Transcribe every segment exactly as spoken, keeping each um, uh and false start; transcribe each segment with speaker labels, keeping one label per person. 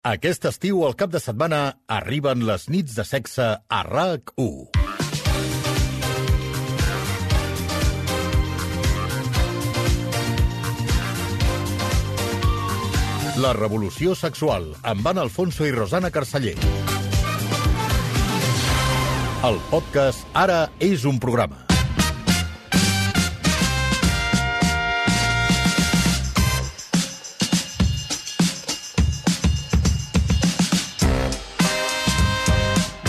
Speaker 1: Aquest estiu, al cap de setmana, arriben les nits de sexe a R A C u. La revolució sexual, amb Anna Alfonso i Rosana Carceller. El podcast Ara és un programa.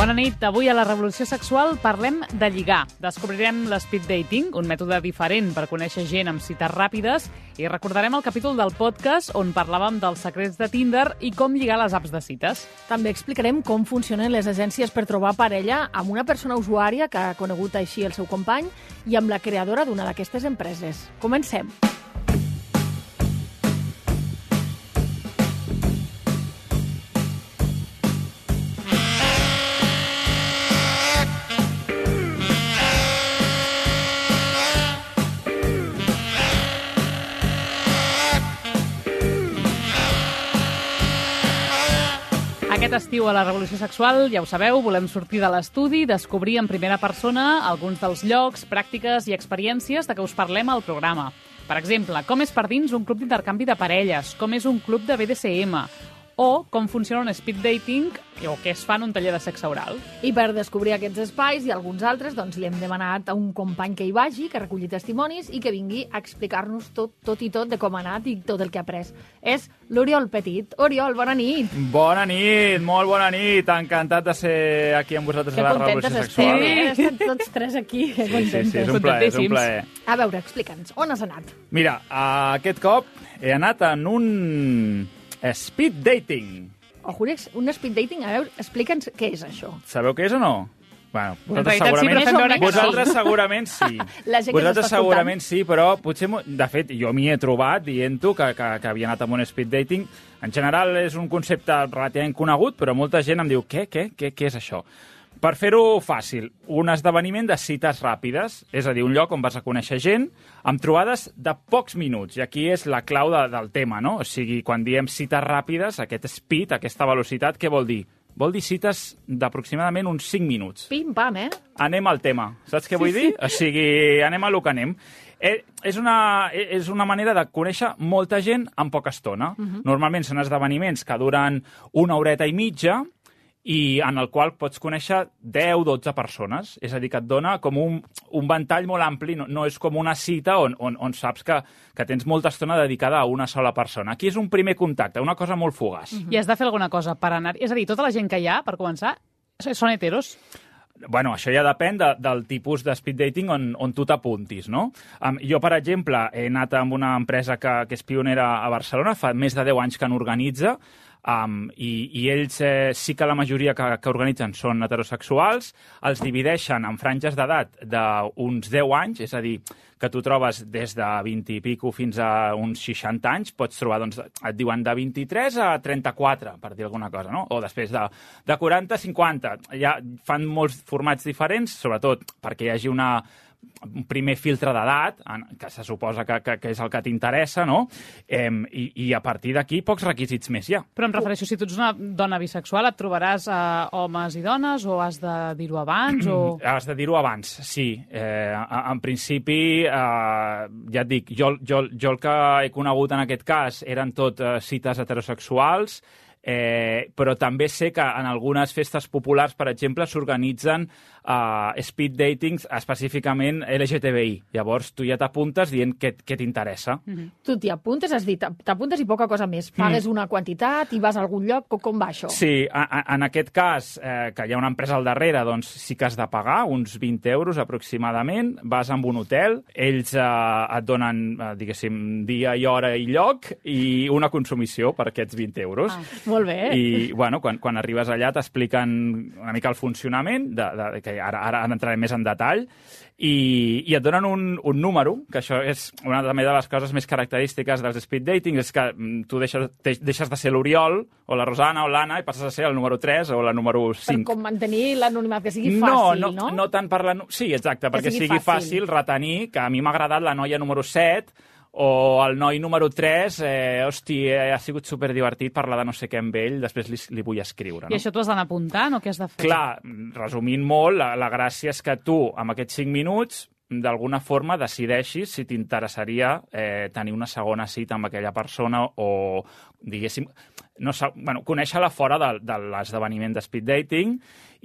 Speaker 2: Bona nit. Avui a la Revolució Sexual parlem de lligar. Descobrirem l'speed dating, un mètode diferent per conèixer gent amb cites ràpides, i recordarem el capítol del podcast on parlàvem dels secrets de Tinder i com lligar les apps de cites.
Speaker 3: També explicarem com funcionen les agències per trobar parella amb una persona usuària que ha conegut així el seu company i amb la creadora d'una d'aquestes empreses. Comencem.
Speaker 2: Aquest estiu a la Revolució Sexual, ja ho sabeu, volem sortir de l'estudi i descobrir en primera persona alguns dels llocs, pràctiques i experiències de què us parlem al programa. Per exemple, com és per dins un club d'intercanvi de parelles, com és un club de B D S M, o com funciona un speed dating o què es fa en un taller de sexe oral.
Speaker 3: I per descobrir aquests espais i alguns altres, doncs li hem demanat a un company que hi vagi, que reculli testimonis i que vingui a explicar-nos tot, tot i tot de com ha anat i tot el que ha après. És l'Oriol Petit. Oriol, bona nit.
Speaker 4: Bona nit, molt bona nit. Encantat de ser aquí amb vosaltres
Speaker 3: que
Speaker 4: a la Revolució Sexual.
Speaker 3: Que contentes estem, estem tots tres aquí.
Speaker 4: Sí, sí, sí, és un plaer, és un plaer.
Speaker 3: A veure, explica'ns, on has anat?
Speaker 4: Mira, aquest cop he anat en un speed dating.
Speaker 3: Oh, un speed dating? A veure, explica'ns què és això.
Speaker 4: Sabeu què és o no? Bueno, vosaltres
Speaker 2: en
Speaker 4: segurament,
Speaker 2: sí, però
Speaker 4: vosaltres segurament sí. Vosaltres segurament sí, però potser... De fet, jo m'hi he trobat dient-ho que, que, que havia anat amb un speed dating. En general és un concepte relativament conegut, però molta gent em diu, què, què, què, què és això? Per fer-ho fàcil, un esdeveniment de cites ràpides, és a dir, un lloc on vas a conèixer gent amb trobades de pocs minuts. I aquí és la clau de, del tema, no? O sigui, quan diem cites ràpides, aquest speed, aquesta velocitat, què vol dir? Vol dir cites d'aproximadament uns cinc minuts.
Speaker 3: Pim-pam, eh?
Speaker 4: Anem al tema. Saps què
Speaker 3: sí,
Speaker 4: vull
Speaker 3: sí.
Speaker 4: dir? O sigui, anem a lo que anem. Eh, és, una, és una manera de conèixer molta gent en poca estona. Uh -huh. Normalment són esdeveniments que duren una horeta i mitja, i en el qual pots conèixer deu o dotze persones. És a dir, que et dona com un, un ventall molt ampli, no, no és com una cita on, on, on saps que, que tens molta estona dedicada a una sola persona. Aquí és un primer contacte, una cosa molt fugaç.
Speaker 2: Uh-huh. I has de fer alguna cosa per anar... És a dir, tota la gent que hi ha, per començar, són heteros?
Speaker 4: Bueno, això ja depèn de, del tipus de speed dating on, on tu t'apuntis, no? Um, jo, per exemple, he anat amb una empresa que, que és pionera a Barcelona, fa més de deu anys que n'organitza, Um, i, i ells eh, sí que la majoria que, que organitzen són heterosexuals, els divideixen en franges d'edat d'uns deu anys, és a dir, que tu trobes des de vint i pico fins a uns seixanta anys, pots trobar, doncs, et diuen de vint-i-tres a trenta-quatre, per dir alguna cosa, no? O després de, de quaranta a cinquanta. Ja fan molts formats diferents, sobretot perquè hi hagi una un primer filtre d'edat, que se suposa que, que, que és el que t'interessa, no? Eh, i, I a partir d'aquí pocs requisits més hi ha.
Speaker 2: Però em refereixo, si tu ets una dona bisexual, et trobaràs eh, homes i dones, o has de dir-ho abans? O...
Speaker 4: Has de dir-ho abans, sí. Eh, en principi, eh, ja et dic, jo, jo, jo el que he conegut en aquest cas eren tot eh, cites heterosexuals, Eh, però també sé que en algunes festes populars, per exemple, s'organitzen uh, speed datings específicament L G T B I. Llavors, tu ja t'apuntes dient què, què t'interessa.
Speaker 3: Mm-hmm. Tu t'hi apuntes, has dit, t'apuntes i poca cosa més. Pagues mm. una quantitat i vas a algun lloc, com, com va això?
Speaker 4: Sí, a, a, en aquest cas, eh, que hi ha una empresa al darrere, doncs sí que has de pagar uns vint euros aproximadament, vas amb un hotel, ells eh, et donen, eh, diguéssim, dia i hora i lloc, i una consumició per aquests vint euros.
Speaker 3: Ah. Molt bé.
Speaker 4: I, bueno, quan, quan arribes allà t'expliquen una mica el funcionament, de, de, que ara, ara entrarem més en detall, i, i et donen un, un número, que això és una també de les coses més característiques dels speed dating, és que tu deixes, deixes de ser l'Oriol, o la Rosana, o l'Anna, i passes a ser el número tres o la número cinc.
Speaker 3: Per com mantenir l'anonimat, que sigui fàcil,
Speaker 4: no?
Speaker 3: No,
Speaker 4: no, no tant per la... Sí, exacte,
Speaker 3: que
Speaker 4: perquè sigui,
Speaker 3: sigui
Speaker 4: fàcil. fàcil retenir, que a mi m'ha agradat la noia número set, O el noi número tres, eh, hosti, ha sigut superdivertit parlar de no sé què amb ell, després li, li vull escriure. No?
Speaker 2: I això t'ho has d'anar apuntant o què has de fer?
Speaker 4: Clar, resumint molt, la, la gràcia és que tu, amb aquests cinc minuts, d'alguna forma decideixis si t'interessaria eh, tenir una segona cita amb aquella persona o, diguéssim, no, bueno, conèixer-la fora de, de l'esdeveniment de speed dating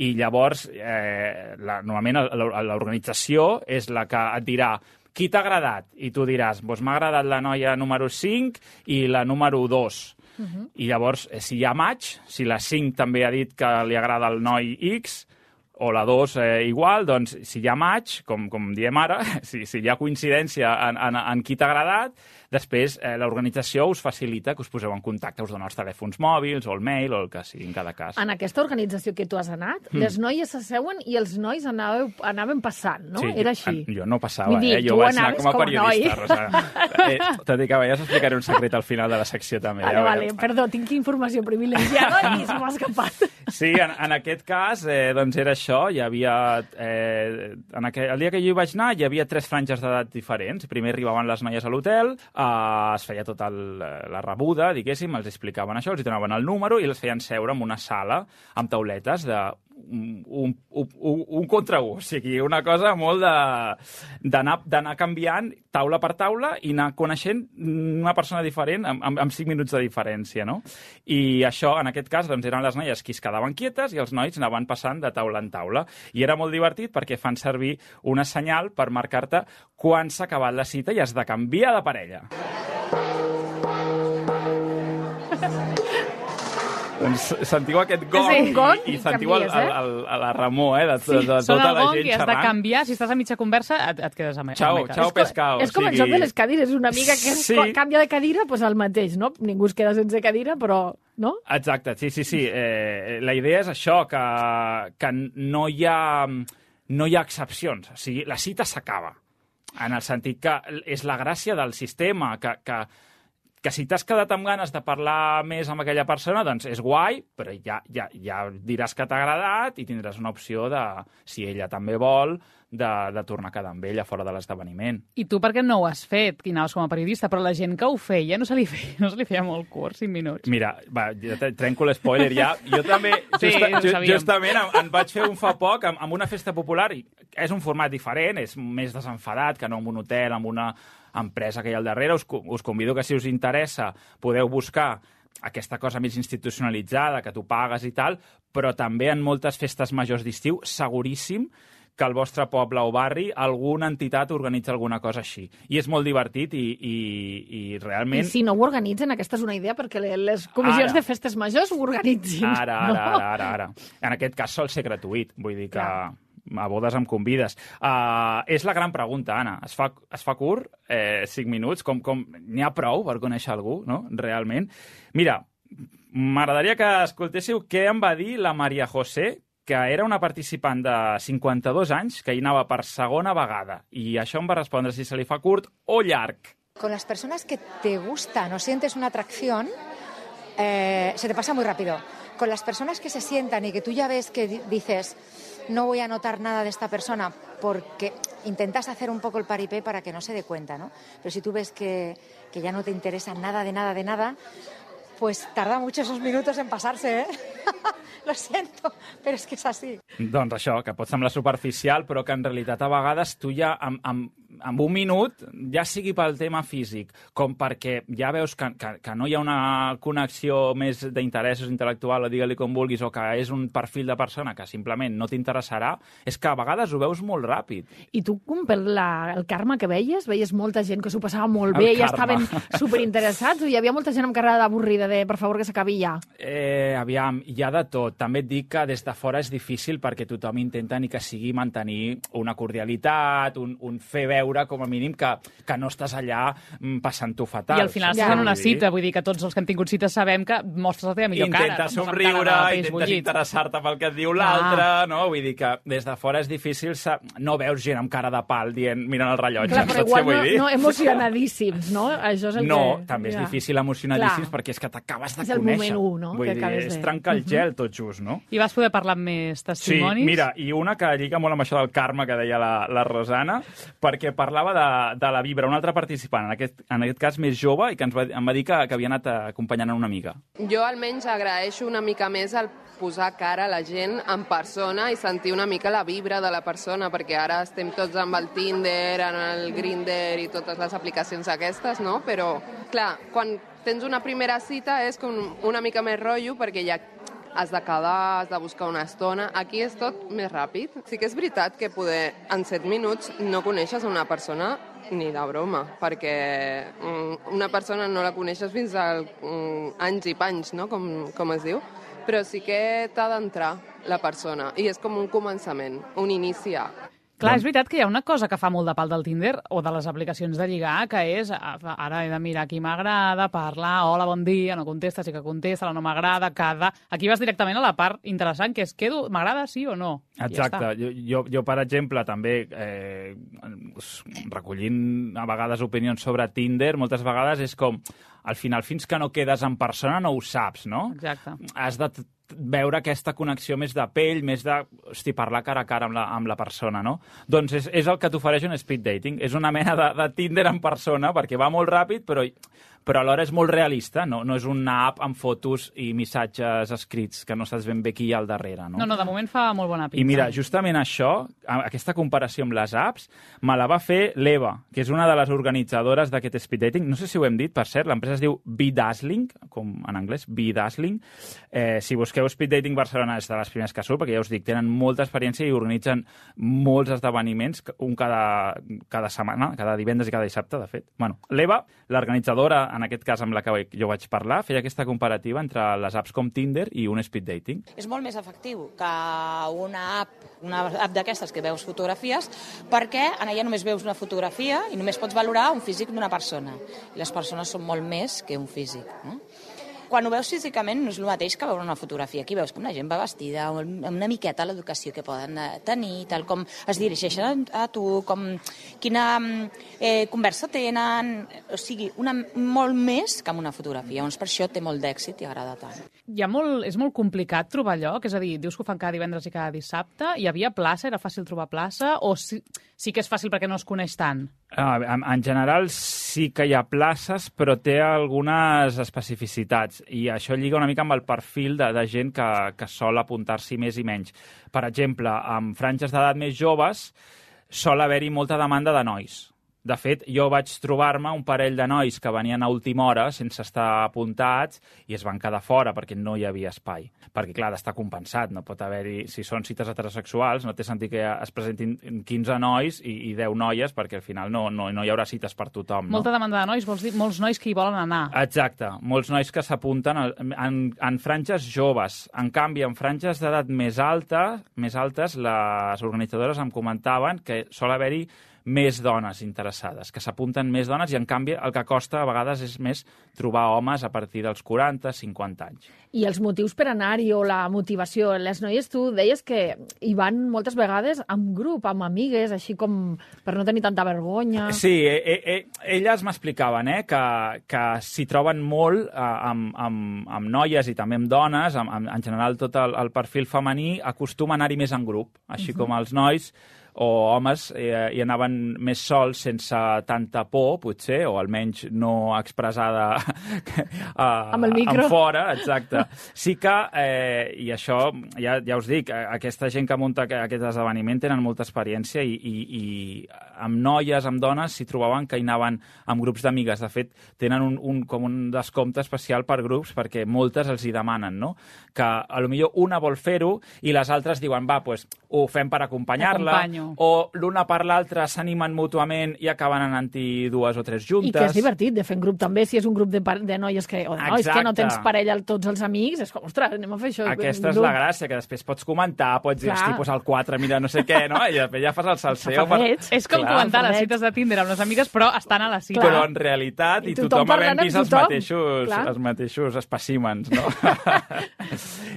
Speaker 4: i llavors, eh, la, normalment l'organització és la que et dirà qui t'ha agradat? I tu diràs, doncs m'ha agradat la noia número cinc i la número dos. Uh-huh. I llavors, si hi ha match, si la cinc també ha dit que li agrada el noi X, o la dos eh, igual, doncs si hi ha match, com, com diem ara, si, si hi ha coincidència en, en, en qui t'ha agradat, després eh, l'organització us facilita que us poseu en contacte, us dona els telèfons mòbils o el mail o el que sigui en cada cas.
Speaker 3: En aquesta organització que tu has anat, mm. les noies s'asseuen i els nois anàveu, anaven passant, no?
Speaker 4: Sí,
Speaker 3: era així.
Speaker 4: Jo no passava,
Speaker 3: dir,
Speaker 4: eh? Jo vaig anar com a
Speaker 3: com
Speaker 4: periodista, Rosana. Eh, tot i que ja us explicaré un secret al final de la secció també.
Speaker 3: Vale,
Speaker 4: ja
Speaker 3: vale, perdó, tinc informació privilegiada i se m'ha escapat.
Speaker 4: Sí, en, en aquest cas, eh, doncs era això, hi havia... Eh, en aquell, el dia que jo hi vaig anar hi havia tres franges d'edat diferents. Primer arribaven les noies a l'hotel, eh, es feia tota el, la rebuda, diguéssim, els explicaven això, els donaven el número i les feien seure en una sala amb tauletes de un, un, un, un contra un. O sigui, una cosa molt d'anar canviant taula per taula i anar coneixent una persona diferent amb, amb, amb cinc minuts de diferència, no? I això, en aquest cas, doncs, eren les noies qui es quedaven quietes i els nois anaven passant de taula en taula. I era molt divertit perquè fan servir una senyal per marcar-te quan s'ha acabat la cita i has de canviar de parella. Doncs sentiu aquest gong,
Speaker 3: sí, gong
Speaker 4: i, i
Speaker 3: i
Speaker 4: sentiu
Speaker 3: canvies,
Speaker 4: el, el, el, la remor eh, de,
Speaker 2: sí,
Speaker 4: de, de tota la gent
Speaker 2: i has
Speaker 4: xerrant.
Speaker 2: de canviar, si estàs a mitja conversa et, et quedes a me.
Speaker 4: Xau,
Speaker 2: a
Speaker 4: xau, pescao.
Speaker 3: És com
Speaker 4: o sigui...
Speaker 3: el joc de les cadires, una amiga que
Speaker 4: sí.
Speaker 3: canvia de cadira, doncs el mateix, no? Ningú es queda sense cadira, però... no?
Speaker 4: Exacte, sí, sí, sí. Eh, la idea és això, que, que no hi ha, no hi ha excepcions. O sigui, la cita s'acaba. En el sentit que és la gràcia del sistema, que, que, que si t'has quedat amb ganes de parlar més amb aquella persona, doncs és guai, però ja, ja, ja diràs que t'ha agradat i tindràs una opció de, si ella també vol, de, de tornar a quedar amb ella fora de l'esdeveniment.
Speaker 2: I tu per què no ho has fet? Que anaves com a periodista, però la gent que ho feia no se li feia, no se li feia molt curt, cinc minuts.
Speaker 4: Mira, va, jo trenco l'espoiler ja. Jo també,
Speaker 2: sí,
Speaker 4: justa, ju,
Speaker 2: sabíem.
Speaker 4: justament, em, em vaig fer un fa poc amb, amb una festa popular. I és un format diferent, és més desenfadat que no en un hotel, amb una empresa que hi ha al darrere. Us, us convido que, si us interessa, podeu buscar aquesta cosa més institucionalitzada, que tu pagues i tal, però també en moltes festes majors d'estiu, seguríssim que al vostre poble o barri alguna entitat organitza alguna cosa així. I és molt divertit i, i, i realment...
Speaker 3: I si no ho organitzen, aquesta és una idea perquè les comissions ara. de festes majors ho organitzin.
Speaker 4: Ara, ara,
Speaker 3: no?
Speaker 4: ara, ara, ara. En aquest cas sol ser gratuït, vull dir que... Clar. A bodes em convides. Uh, és la gran pregunta, Anna. Es fa, es fa curt, eh, cinc minuts, com, com n'hi ha prou per conèixer algú, no? Realment. Mira, m'agradaria que escoltéssiu què em va dir la Maria José, que era una participant de cinquanta-dos anys, que hi anava per segona vegada. I això em va respondre si se li fa curt o llarg.
Speaker 5: Con las personas que te gustan o sientes una atracción, eh, se te pasa muy rápido. Con las personas que se sientan y que tú ya ves que dices... no voy a notar nada de esta persona, porque intentas hacer un poco el paripé para que no se dé cuenta, ¿no? Pero si tú ves que, que ya no te interesa nada de nada de nada, pues tarda mucho esos minutos en pasarse, ¿eh? Lo siento, però és que és així.
Speaker 4: Doncs això, que pot semblar superficial, però que en realitat a vegades tu ja, amb, amb, amb un minut, ja sigui pel tema físic, com perquè ja veus que, que, que no hi ha una connexió més d'interessos intel·lectual, o digue-li com vulguis, o que és un perfil de persona que simplement no t'interessarà, és que a vegades ho veus molt ràpid.
Speaker 3: I tu, com per la, el karma que veies, veies molta gent que s'ho passava molt bé
Speaker 4: el
Speaker 3: i
Speaker 4: karma.
Speaker 3: estaven superinteressats, o hi havia molta gent amb cara d'avorrida, de per favor que s'acabi ja?
Speaker 4: Eh, aviam, hi ha de tot. També et dic que des de fora és difícil perquè tothom intenta ni que sigui mantenir una cordialitat, un, un fer veure, com a mínim, que, que no estàs allà passant-ho fatal.
Speaker 2: I al final estàs en una cita, vull dir que tots els que hem tingut cites sabem que mostres la teva millor cara.
Speaker 4: Intentes somriure, intentes interessar-te pel que et diu l'altre, no? Vull dir que des de fora és difícil, no veus gent amb cara de pal dient, mirant el rellotge,
Speaker 3: clar, però igual
Speaker 4: vull
Speaker 3: no,
Speaker 4: dir?
Speaker 3: no emocionadíssims, no? Això és el
Speaker 4: no,
Speaker 3: que...
Speaker 4: també és
Speaker 3: ja.
Speaker 4: difícil emocionadíssims perquè és que t'acabes de
Speaker 3: és el
Speaker 4: conèixer.
Speaker 3: moment u, no?
Speaker 4: Vull
Speaker 3: que
Speaker 4: dir, és trencar el gel tot just, no?
Speaker 2: I vas poder parlar amb més testimonis?
Speaker 4: Sí, mira, i una que lliga molt amb això del karma que deia la, la Rosana, perquè que parlava de, de la Vibra, un altre participant, en aquest, en aquest cas més jove, i que ens va, em va dir que, que havia anat acompanyant una amiga.
Speaker 6: Jo almenys agraeixo una mica més el posar cara a la gent en persona i sentir una mica la vibra de la persona, perquè ara estem tots amb el Tinder, en el Grindr i totes les aplicacions aquestes, no? Però, clar, quan tens una primera cita és com una mica més rotllo, perquè ja has de quedar, has de buscar una estona. Aquí és tot més ràpid. Sí que és veritat que poder en set minuts no coneixes una persona ni de broma, perquè una persona no la coneixes fins als anys i panys, no? com, com es diu, però sí que t'ha d'entrar la persona, i és com un començament, un inici a...
Speaker 2: Clar, és veritat que hi ha una cosa que fa molt de pal del Tinder o de les aplicacions de lligar, que és, ara he de mirar qui m'agrada, parlar, hola, bon dia, no contesta, sí que contesta, la no m'agrada, cada... Aquí vas directament a la part interessant, que és, quedo, m'agrada sí o no?
Speaker 4: Exacte.
Speaker 2: Ja
Speaker 4: jo, jo, jo, per exemple, també eh, recollint a vegades opinions sobre Tinder, moltes vegades és com, al final, fins que no quedes en persona no ho saps, no?
Speaker 2: Exacte.
Speaker 4: Has de veure aquesta connexió més de pell, més de, hosti, parlar cara a cara amb la, amb la persona, no? Doncs és, és el que t'ofereix un speed dating. És una mena de, de Tinder en persona, perquè va molt ràpid, però, però alhora és molt realista, no, no és una app amb fotos i missatges escrits que no saps ben bé qui hi ha al darrere, no?
Speaker 2: No, no, de moment fa molt bona pinta.
Speaker 4: I mira, justament això, aquesta comparació amb les apps, me la va fer l'Eva, que és una de les organitzadores d'aquest speed dating. No sé si ho hem dit, per cert, l'empresa es diu Bedazzling, com en anglès, Bedazzling. Eh, si busqueu Speed Dating Barcelona és de les primeres que surt, perquè ja us dic, tenen molta experiència i organitzen molts esdeveniments, un cada, cada setmana, cada divendres i cada dissabte, de fet. Bueno, l'Eva, l'organitzadora, en aquest cas amb la que jo vaig parlar, feia aquesta comparativa entre les apps com Tinder i un speed dating.
Speaker 7: És molt més efectiu que una app, una app d'aquestes que veus fotografies, perquè en ella només veus una fotografia i només pots valorar un físic d'una persona. I les persones són molt més que un físic, no? Quan ho veus físicament no és el mateix que veure una fotografia. Aquí veus com la gent va vestida, amb una miqueta l'educació que poden tenir, tal com es dirigeixen a tu, com quina eh, conversa tenen, o sigui, una, molt més que amb una fotografia. Llavors, per això té molt d'èxit i agrada tant.
Speaker 2: Hi ha molt, és molt complicat trobar lloc? És a dir, dius que ho fan cada divendres i cada dissabte. Hi havia plaça? Era fàcil trobar plaça? O sí, sí que és fàcil perquè no es coneix tant?
Speaker 4: Ah, en, en general sí que hi ha places, però té algunes especificitats, i això lliga una mica amb el perfil de, de gent que, que sol apuntar-s'hi més i menys. Per exemple, amb franges d'edat més joves sol haver-hi molta demanda de nois. De fet, jo vaig trobar-me un parell de nois que venien a última hora sense estar apuntats i es van quedar fora perquè no hi havia espai. Perquè, clar, ha d'estar compensat. No pot haver-hi, si són cites heterosexuals, no té sentit que es presentin quinze nois i, i deu noies, perquè al final no, no, no hi haurà cites per tothom. No?
Speaker 2: Molta demanda de nois, vols dir molts nois que hi volen anar.
Speaker 4: Exacte, molts nois que s'apunten en, en franges joves. En canvi, en franges d'edat més alta, més altes, les organitzadores em comentaven que sol haver-hi més dones interessades, que s'apunten més dones, i en canvi el que costa a vegades és més trobar homes a partir dels quaranta, cinquanta anys.
Speaker 3: I els motius per anar-hi o la motivació? Les noies, tu deies que hi van moltes vegades amb grup, amb amigues, així com per no tenir tanta vergonya.
Speaker 4: Sí, eh, eh, elles m'explicaven eh, que, que s'hi troben molt eh, amb, amb, amb noies i també amb dones, amb, amb, en general tot el, el perfil femení acostuma a anar-hi més en grup, així uh-huh. com els nois o homes eh, hi anaven més sols sense tanta por, potser, o almenys no expressada a,
Speaker 3: amb el micro.
Speaker 4: En fora, exacte. Sí que, eh, i això, ja, ja us dic, aquesta gent que munta aquest esdeveniment tenen molta experiència i, i, i amb noies, amb dones, s'hi trobaven que hi anaven amb grups d'amigues. De fet, tenen un, un, com un descompte especial per grups perquè moltes els hi demanen, no? Que potser una vol fer-ho i les altres diuen, va, doncs ho fem per acompanyar-la. O l'una per l'altra s'animen mútuament i acaben anant-hi dues o tres juntes.
Speaker 3: I que és divertit de fer en grup també, si és un grup de, de noies que, o de nois que no tens parella tots els amics, és com, ostres, anem a fer això.
Speaker 4: Aquesta és la gràcia, que després pots comentar, pots dir, hosti, pues al quatre, mira, no sé què, no? I després ja fas el salseo.
Speaker 2: Per... És com Clar, comentar les cites de Tinder amb les amigues, però estan a la cita.
Speaker 4: Però en realitat, i, i tothom, tothom havent vist els mateixos, els mateixos espècimens, no?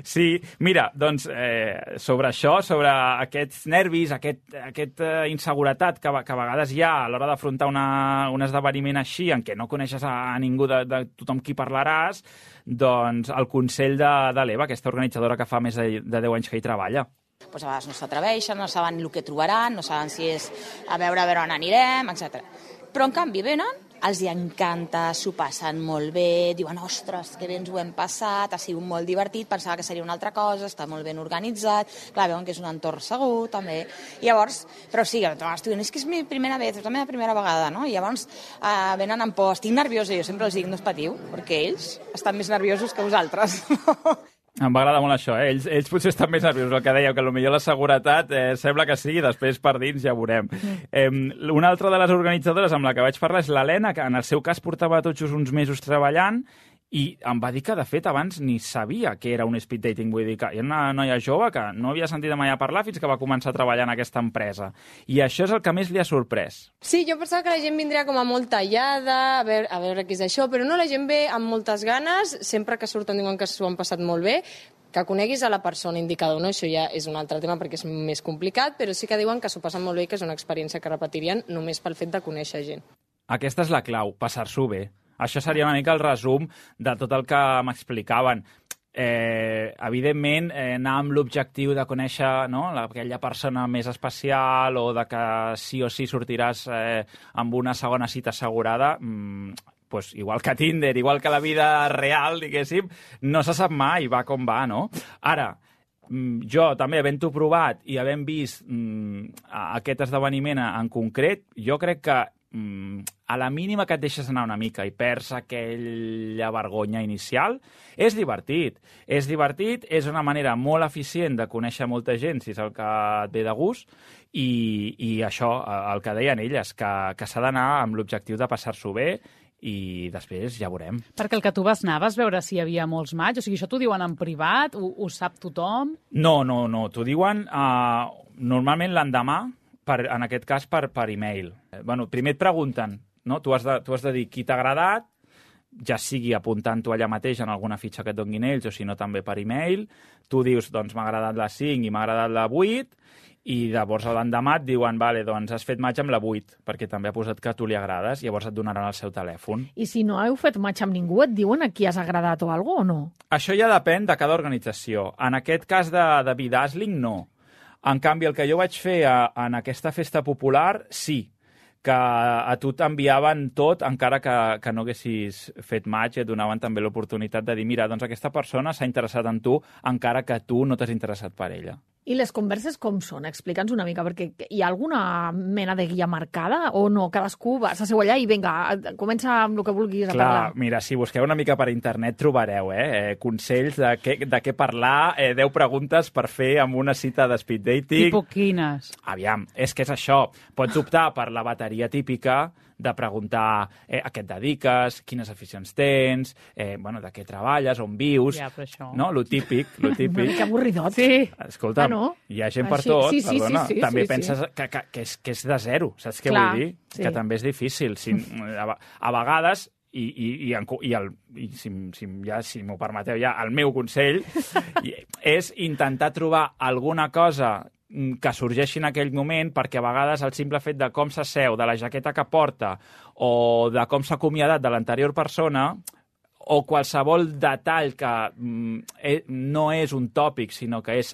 Speaker 4: Sí, mira, doncs, eh, sobre això, sobre aquests nervis, aquest, aquest inseguretat que, que a vegades hi ha a l'hora d'afrontar un esdeveniment així en què no coneixes a, a ningú de, de tothom qui parlaràs, doncs el consell de, de l'Eva, aquesta organitzadora que fa més de, de deu anys que hi treballa.
Speaker 7: Pues a vegades no s'atreveixen, no saben el que trobaran, no saben si és a veure a veure on anirem, etcètera. Però, en canvi, venen, els hi encanta, s'ho passen molt bé, diuen, ostres, que bé ens ho hem passat, ha sigut molt divertit, pensava que seria una altra cosa, està molt ben organitzat, clar, veuen que és un entorn segur, també. I llavors, però sí, es diuen, és que és mi primera vegada, és la meva primera vegada, no? I llavors eh, venen amb por, estic nerviosa, jo sempre els dic, no es patiu, perquè ells estan més nerviosos que vosaltres.
Speaker 4: Em va agradar molt això, eh? Ells, ells potser estan més nerviosos, el que dèieu, que potser la seguretat eh, sembla que sí, després per dins ja veurem. Mm. Eh, una altra de les organitzadores amb la que vaig parlar és l'Helena, que en el seu cas portava tots just uns mesos treballant, i em va dir que, de fet, abans ni sabia que era un speed dating. Vull dir que era una noia jove que no havia sentit mai a parlar fins que va començar a treballar en aquesta empresa. I això és el que més li ha sorprès.
Speaker 8: Sí, jo pensava que la gent vindria com a molt tallada, a veure, a veure què és això, però no, la gent ve amb moltes ganes, sempre que surten diuen que s'ho han passat molt bé, que coneguis a la persona indicada o no, això ja és un altre tema perquè és més complicat, però sí que diuen que s'ho passen molt bé i que és una experiència que repetirien només pel fet de conèixer gent.
Speaker 4: Aquesta és la clau, passar-s'ho bé. Això seria una mica el resum de tot el que m'explicaven. Eh, evidentment, eh, anar amb l'objectiu de conèixer, no, aquella persona més especial o de que sí o sí sortiràs eh, amb una segona cita assegurada, mmm, pues, igual que Tinder, igual que la vida real, diguéssim, no se sap mai, va com va, no? Ara, jo també, havent-ho provat i havent vist mm, aquest esdeveniment en concret, jo crec que mm, a la mínima que et deixes anar una mica i perds aquella vergonya inicial, és divertit. És divertit, és una manera molt eficient de conèixer molta gent, si és el que et ve de gust, i, i això, el que deien elles, que, que s'ha d'anar amb l'objectiu de passar-s'ho bé, i després ja veurem.
Speaker 2: Perquè el que tu vas anar, vas veure si hi havia molts matxs? O sigui, això t'ho diuen en privat? Ho, ho sap tothom?
Speaker 4: No, no, no. T'ho diuen uh, normalment l'endemà, per, en aquest cas per, per e-mail. Bueno, primer et pregunten, no? Tu has de, tu has de dir qui t'ha agradat, ja sigui apuntant-ho allà mateix en alguna fitxa que et donin ells, o si no també per e-mail. Tu dius, doncs m'ha agradat la cinc i m'ha agradat la vuit, i llavors l'endemà et diuen, vale, doncs has fet match amb la vuit, perquè també ha posat que a tu li agrades, i llavors et donaran el seu telèfon.
Speaker 3: I si no heu fet match amb ningú, et diuen a qui has agradat o alguna cosa, o no?
Speaker 4: Això ja depèn de cada organització. En aquest cas de, de Bedazzling, no. En canvi, el que jo vaig fer a, en aquesta festa popular, sí, que a tu t'enviaven tot, encara que, que no haguessis fet match, et donaven també l'oportunitat de dir, mira, doncs aquesta persona s'ha interessat en tu, encara que tu no t'has interessat per ella.
Speaker 3: I les converses com són? Explica'ns una mica, perquè hi ha alguna mena de guia marcada o no? Cadascú va, s'asseu allà i vinga, comença amb el que vulguis a
Speaker 4: Clar,
Speaker 3: parlar.
Speaker 4: Mira, si busqueu una mica per internet trobareu eh, eh consells de què, de què parlar, eh, deu preguntes per fer amb una cita de speed dating.
Speaker 2: Tipo quines?
Speaker 4: Aviam, és que és això. Pots optar per la bateria típica de preguntar eh, a què et dediques, quines aficions tens, eh, bueno, de què treballes, on vius...
Speaker 2: Ja, però això...
Speaker 4: No? Lo típic, lo típic.
Speaker 3: Una mica avorridot.
Speaker 2: Sí.
Speaker 4: Escolta, ah, no? Hi ha gent per
Speaker 3: Així,
Speaker 4: tot,
Speaker 3: sí, sí,
Speaker 4: perdona.
Speaker 3: sí, sí,
Speaker 4: també
Speaker 3: sí,
Speaker 4: penses
Speaker 3: sí.
Speaker 4: Que, que, que, és, que és de zero, saps què
Speaker 3: Clar,
Speaker 4: vull dir?
Speaker 3: sí.
Speaker 4: Que també és difícil. Si, a, a vegades, i, i, i, en, i, el, i si, si, ja, si m'ho permeteu ja, el meu consell és intentar trobar alguna cosa que sorgeixi en aquell moment, perquè a vegades el simple fet de com s'asseu, de la jaqueta que porta o de com s'ha acomiadat de l'anterior persona, o qualsevol detall que mm, no és un tòpic, sinó que és,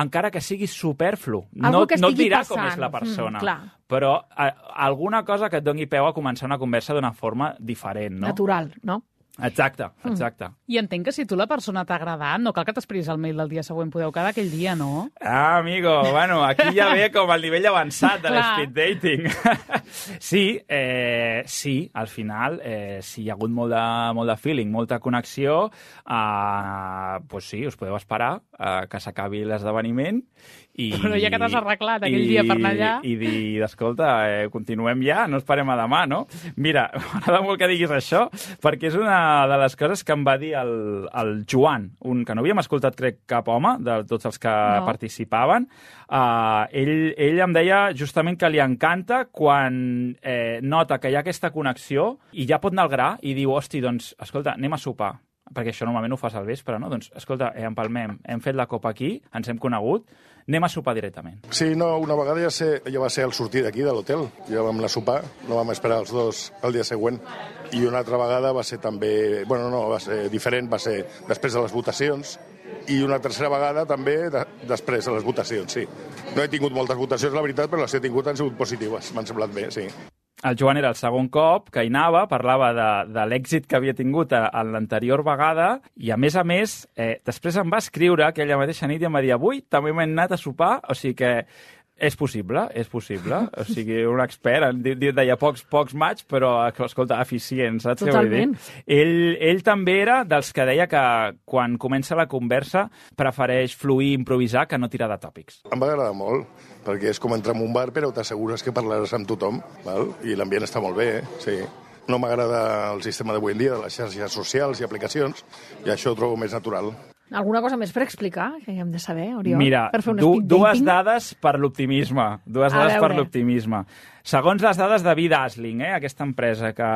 Speaker 4: encara que sigui superflu, no, no et dirà passant. Com és la persona, mm, però a, alguna cosa que et doni peu a començar una conversa d'una forma diferent, no?
Speaker 3: Natural, no?
Speaker 4: Exacte, exacte.
Speaker 2: Mm. I entenc que si tu la persona t'ha agradat, no cal que t'esperis el mail del dia següent, podeu quedar aquell dia, no?
Speaker 4: Ah, amigo, bueno, aquí ja ve com el nivell avançat de l'espeed dating. Sí, eh, sí, al final, eh, si hi ha hagut molt de, molt de feeling, molta connexió, eh, pues sí, us podeu esperar eh, que s'acabi l'esdeveniment. I,
Speaker 2: Però ja que t'has arreglat aquell i, dia per anar allà...
Speaker 4: I dir, escolta, eh, continuem ja, no esperem a demà, no? Mira, m'agrada molt que diguis això, perquè és una de les coses que em va dir el, el Joan, un que no havíem escoltat, crec, cap home, de tots els que no. participaven. Uh, ell, ell em deia justament que li encanta quan eh, nota que hi ha aquesta connexió i ja pot anar al gra i diu, hosti, doncs, escolta, anem a sopar. Perquè això normalment ho fas al vespre, no? Doncs, escolta, eh, empalmem, hem fet la copa aquí, ens hem conegut, anem a sopar directament.
Speaker 9: Sí, no, una vegada ja, sé, ja va ser al sortir d'aquí, de l'hotel. Ja vam anar a sopar, no vam esperar els dos el dia següent. I una altra vegada va ser també... Bueno, no, va ser diferent, va ser després de les votacions, i una tercera vegada també de, després de les votacions, sí. No he tingut moltes votacions, la veritat, però les he tingut han sigut positives, m'han semblat bé, sí.
Speaker 4: El Joan era el segon cop que hi anava, parlava de, de l'èxit que havia tingut a, a l'anterior vegada i, a més a més, eh, després em va escriure aquella mateixa nit i em va dir avui també m'he anat a sopar, o sigui que és possible, és possible. O sigui, un expert, deia pocs, pocs maig, però, escolta, eficient, saps què vull dir? Ell, ell també era dels que deia que quan comença la conversa prefereix fluir, improvisar, que no tirar de tòpics.
Speaker 9: Em va agradar molt, perquè és com entrar en un bar, però t'assegures que parlaràs amb tothom, val? I l'ambient està molt bé, eh? Sí. No m'agrada el sistema d'avui en dia, de les xarxes socials i aplicacions, i això ho trobo més natural.
Speaker 3: Alguna cosa més per explicar, que hem de saber, Oriol?
Speaker 4: Mira,
Speaker 3: per fer un
Speaker 4: du
Speaker 3: speed
Speaker 4: dues
Speaker 3: dating?
Speaker 4: dades per l'optimisme. Dues dades per l'optimisme. Segons les dades de Vidasling, eh, aquesta empresa que,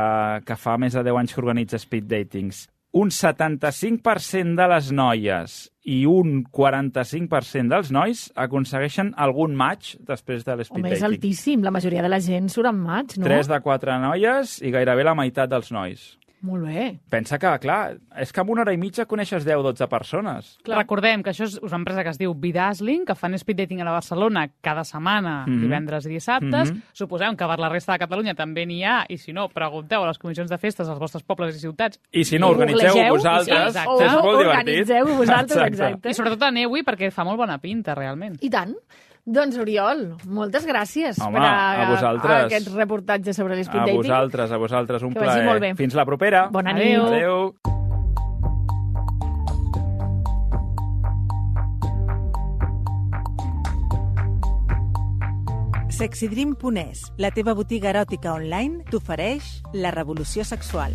Speaker 4: que fa més de deu anys que organitza speed datings, un setanta-cinc per cent de les noies i un quaranta-cinc per cent dels nois aconsegueixen algun match després de l'speed dating.
Speaker 3: Home, és altíssim. La majoria de la gent surt en match, no?
Speaker 4: Tres de quatre noies i gairebé la meitat dels nois.
Speaker 3: Molt bé.
Speaker 4: Pensa que, clar, és que en una hora i mitja coneixes deu o dotze persones.
Speaker 2: Clar. Recordem que això és una empresa que es diu Vidasling, que fan speed dating a la Barcelona cada setmana, mm -hmm. divendres i dissabtes. Mm -hmm. Suposem que per la resta de Catalunya també n'hi ha, i si no, pregunteu a les comissions de festes als vostres pobles i ciutats.
Speaker 4: I si no, organitzeu-ho vosaltres, sí,
Speaker 3: o,
Speaker 4: és molt divertit.
Speaker 3: Organitzeu-ho vosaltres, exacte. exacte.
Speaker 2: I sobretot aneu-hi perquè fa molt bona pinta, realment.
Speaker 3: I tant. Doncs, Oriol, moltes gràcies
Speaker 4: Home,
Speaker 3: per a,
Speaker 4: a, vosaltres.
Speaker 3: a aquest reportatge sobre l'speed dating.
Speaker 4: A vosaltres, a vosaltres, un
Speaker 3: que
Speaker 4: plaer. Fins la propera.
Speaker 3: Bona nit.
Speaker 4: Adéu. Adéu.
Speaker 10: Sexydream punt es, la teva botiga eròtica online, t'ofereix la revolució sexual.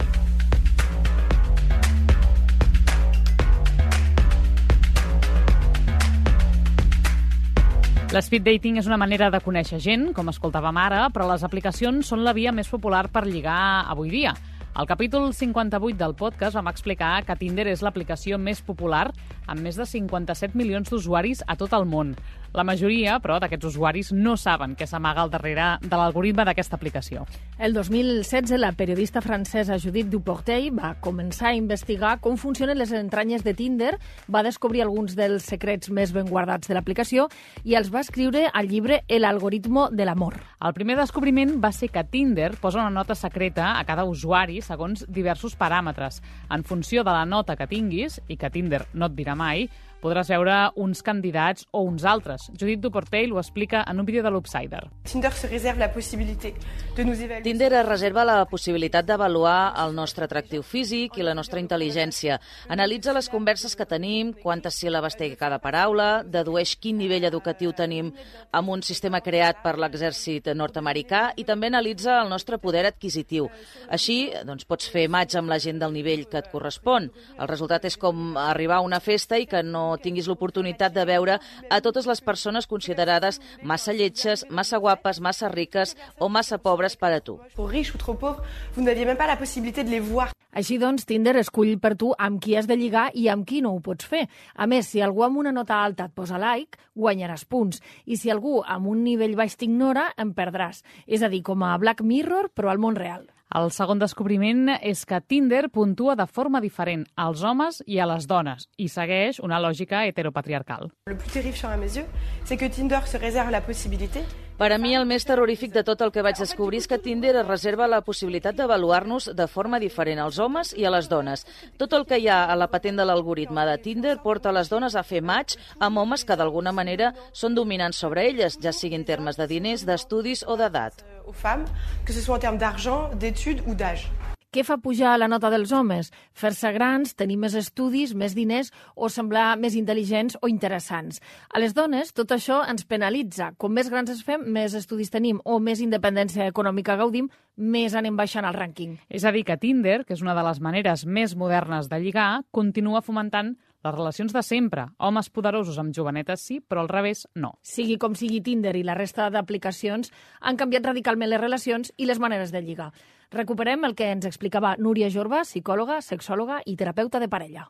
Speaker 2: L'speed dating és una manera de conèixer gent, com escoltàvem ara, però les aplicacions són la via més popular per lligar avui dia. Al capítol cinquanta-vuit del podcast vam explicar que Tinder és l'aplicació més popular amb més de cinquanta-set milions d'usuaris a tot el món. La majoria, però, d'aquests usuaris no saben què s'amaga al darrere de l'algoritme d'aquesta aplicació.
Speaker 3: El dos mil setze, la periodista francesa Judith Duportey va començar a investigar com funcionen les entranyes de Tinder, va descobrir alguns dels secrets més ben guardats de l'aplicació i els va escriure al llibre El algoritmo de l'amor.
Speaker 2: El primer descobriment va ser que Tinder posa una nota secreta a cada usuari segons diversos paràmetres. En funció de la nota que tinguis, i que Tinder no et dirà mai, podràs veure uns candidats o uns altres. Judith Duportey ho explica en un vídeo de l'Upsider.
Speaker 11: Tinder se reserve la possibilitat de nous évaluer.
Speaker 12: Tinder es reserva la possibilitat d'avaluar el nostre atractiu físic i la nostra intel·ligència. Analitza les converses que tenim, quantes síl·labes té cada paraula, dedueix quin nivell educatiu tenim amb un sistema creat per l'exèrcit nord-americà i també analitza el nostre poder adquisitiu. Així, doncs, pots fer match amb la gent del nivell que et correspon. El resultat és com arribar a una festa i que no tinguis l'oportunitat de veure a totes les persones considerades massa lletges, massa guapes, massa riques o massa pobres per a tu.
Speaker 11: Pour riche ou trop pauvre, vous n'aviez même pas la possibilité de les voir.
Speaker 3: Així doncs, Tinder escull per tu amb qui has de lligar i amb qui no ho pots fer. A més, si algú amb una nota alta et posa like, guanyaràs punts. I si algú amb un nivell baix t'ignora, en perdràs. És a dir, com a Black Mirror, però al món real.
Speaker 2: El segon descobriment és que Tinder puntua de forma diferent als homes i a les dones i segueix una lògica heteropatriarcal.
Speaker 11: Le plus terrible sur mes yeux, c'est que Tinder se réserve la possibilité.
Speaker 12: Per a mi, el més terrorífic de tot el que vaig descobrir és que Tinder es reserva la possibilitat d'avaluar-nos de forma diferent als homes i a les dones. Tot el que hi ha a la patent de l'algoritme de Tinder porta les dones a fer match amb homes que d'alguna manera són dominants sobre elles, ja sigui en termes de diners, d'estudis o d'edat.
Speaker 11: Aux femmes, que ce soit en termes d'argent, d'études ou d'âge.
Speaker 3: Què fa pujar la nota dels homes? Fer-se grans, tenir més estudis, més diners o semblar més intel·ligents o interessants. A les dones, tot això ens penalitza. Com més grans es fem, més estudis tenim o més independència econòmica gaudim, més anem baixant al rànquing.
Speaker 2: És a dir, que Tinder, que és una de les maneres més modernes de lligar, continua fomentant les relacions de sempre. Homes poderosos amb jovenetes sí, però al revés no.
Speaker 3: Sigui com sigui, Tinder i la resta d'aplicacions han canviat radicalment les relacions i les maneres de lligar. Recuperem el que ens explicava Núria Jorba, psicòloga, sexòloga i terapeuta de parella.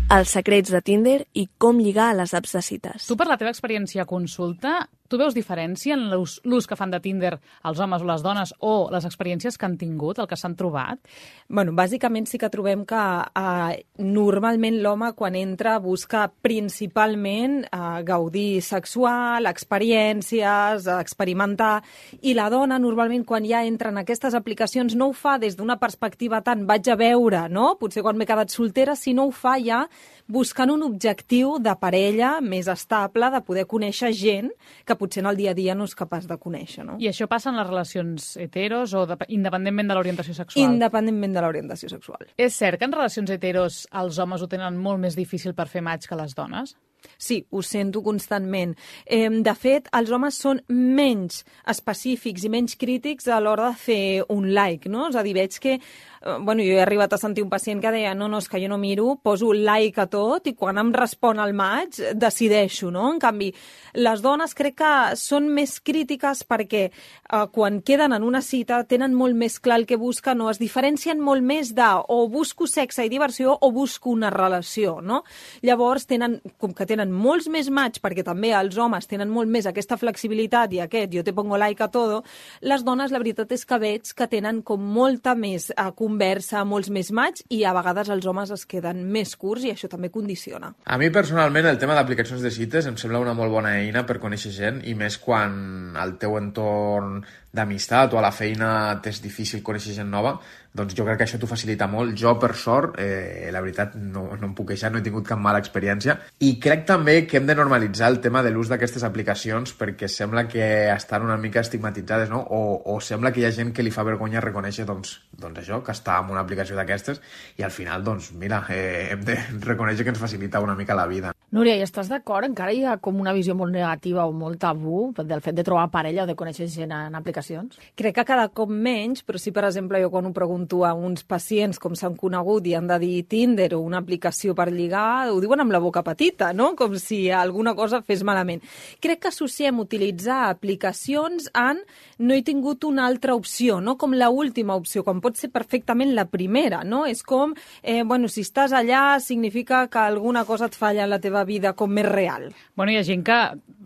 Speaker 13: Els secrets de Tinder i com lligar a les apps de cites.
Speaker 2: Tu, per la teva experiència a consulta, Tu veus diferència en l'ús que fan de Tinder els homes o les dones o les experiències que han tingut, el que s'han trobat?
Speaker 13: Bueno, bàsicament sí que trobem que eh, normalment l'home quan entra busca principalment eh, gaudir sexual, experiències, experimentar, i la dona normalment quan ja entra en aquestes aplicacions no ho fa des d'una perspectiva tant vaig a veure, no? Potser quan m'he quedat soltera, sinó ho fa ja buscant un objectiu de parella més estable, de poder conèixer gent que potser en el dia a dia no és capaç de conèixer, no?
Speaker 2: I això passa en les relacions heteros o de, independentment de l'orientació sexual?
Speaker 13: Independentment de l'orientació sexual.
Speaker 2: És cert que en relacions heteros els homes ho tenen molt més difícil per fer match que les dones?
Speaker 13: Sí, ho sento constantment. Eh, de fet, els homes són menys específics i menys crítics a l'hora de fer un like, no? És a dir, veig que eh, bueno, jo he arribat a sentir un pacient que deia no, no, és que jo no miro, poso like a tot i quan em respon al maig decideixo, no? En canvi, les dones crec que són més crítiques perquè eh, quan queden en una cita tenen molt més clar el que busquen, o es diferencien molt més de o busco sexe i diversió o busco una relació, no? Llavors, tenen, com que tenen molts més match, perquè també els homes tenen molt més aquesta flexibilitat i aquest jo te pongo like a todo, les dones la veritat és que veig que tenen com molta més eh, conversa, molts més match, i a vegades els homes es queden més curts i això també condiciona.
Speaker 14: A mi personalment el tema d'aplicacions de cites em sembla una molt bona eina per conèixer gent, i més quan al teu entorn d'amistat o a la feina t'és difícil conèixer gent nova, doncs jo crec que això t'ho facilita molt. Jo, per sort, eh, la veritat, no, no em puc queixar, no he tingut cap mala experiència. I crec també que hem de normalitzar el tema de l'ús d'aquestes aplicacions perquè sembla que estan una mica estigmatitzades, no? O, o sembla que hi ha gent que li fa vergonya reconèixer, doncs, doncs això, que està en una aplicació d'aquestes, i al final, doncs, mira, eh, hem de reconèixer que ens facilita una mica la vida.
Speaker 3: Núria, i estàs d'acord? Encara hi ha com una visió molt negativa o molt tabú del fet de trobar parella o de conèixer gent en aplicacions?
Speaker 13: Crec que cada cop menys, però sí, per exemple, jo quan ho pregunto a uns pacients com s'han conegut i han de dir Tinder o una aplicació per lligar, ho diuen amb la boca petita, no? Com si alguna cosa fes malament. Crec que associem utilitzar aplicacions en no he tingut una altra opció, no? Com la última opció, quan pot ser perfectament la primera, no? És com, eh, bueno, si estàs allà significa que alguna cosa et falla en la teva vida com més real.
Speaker 2: Bueno, hi ha gent que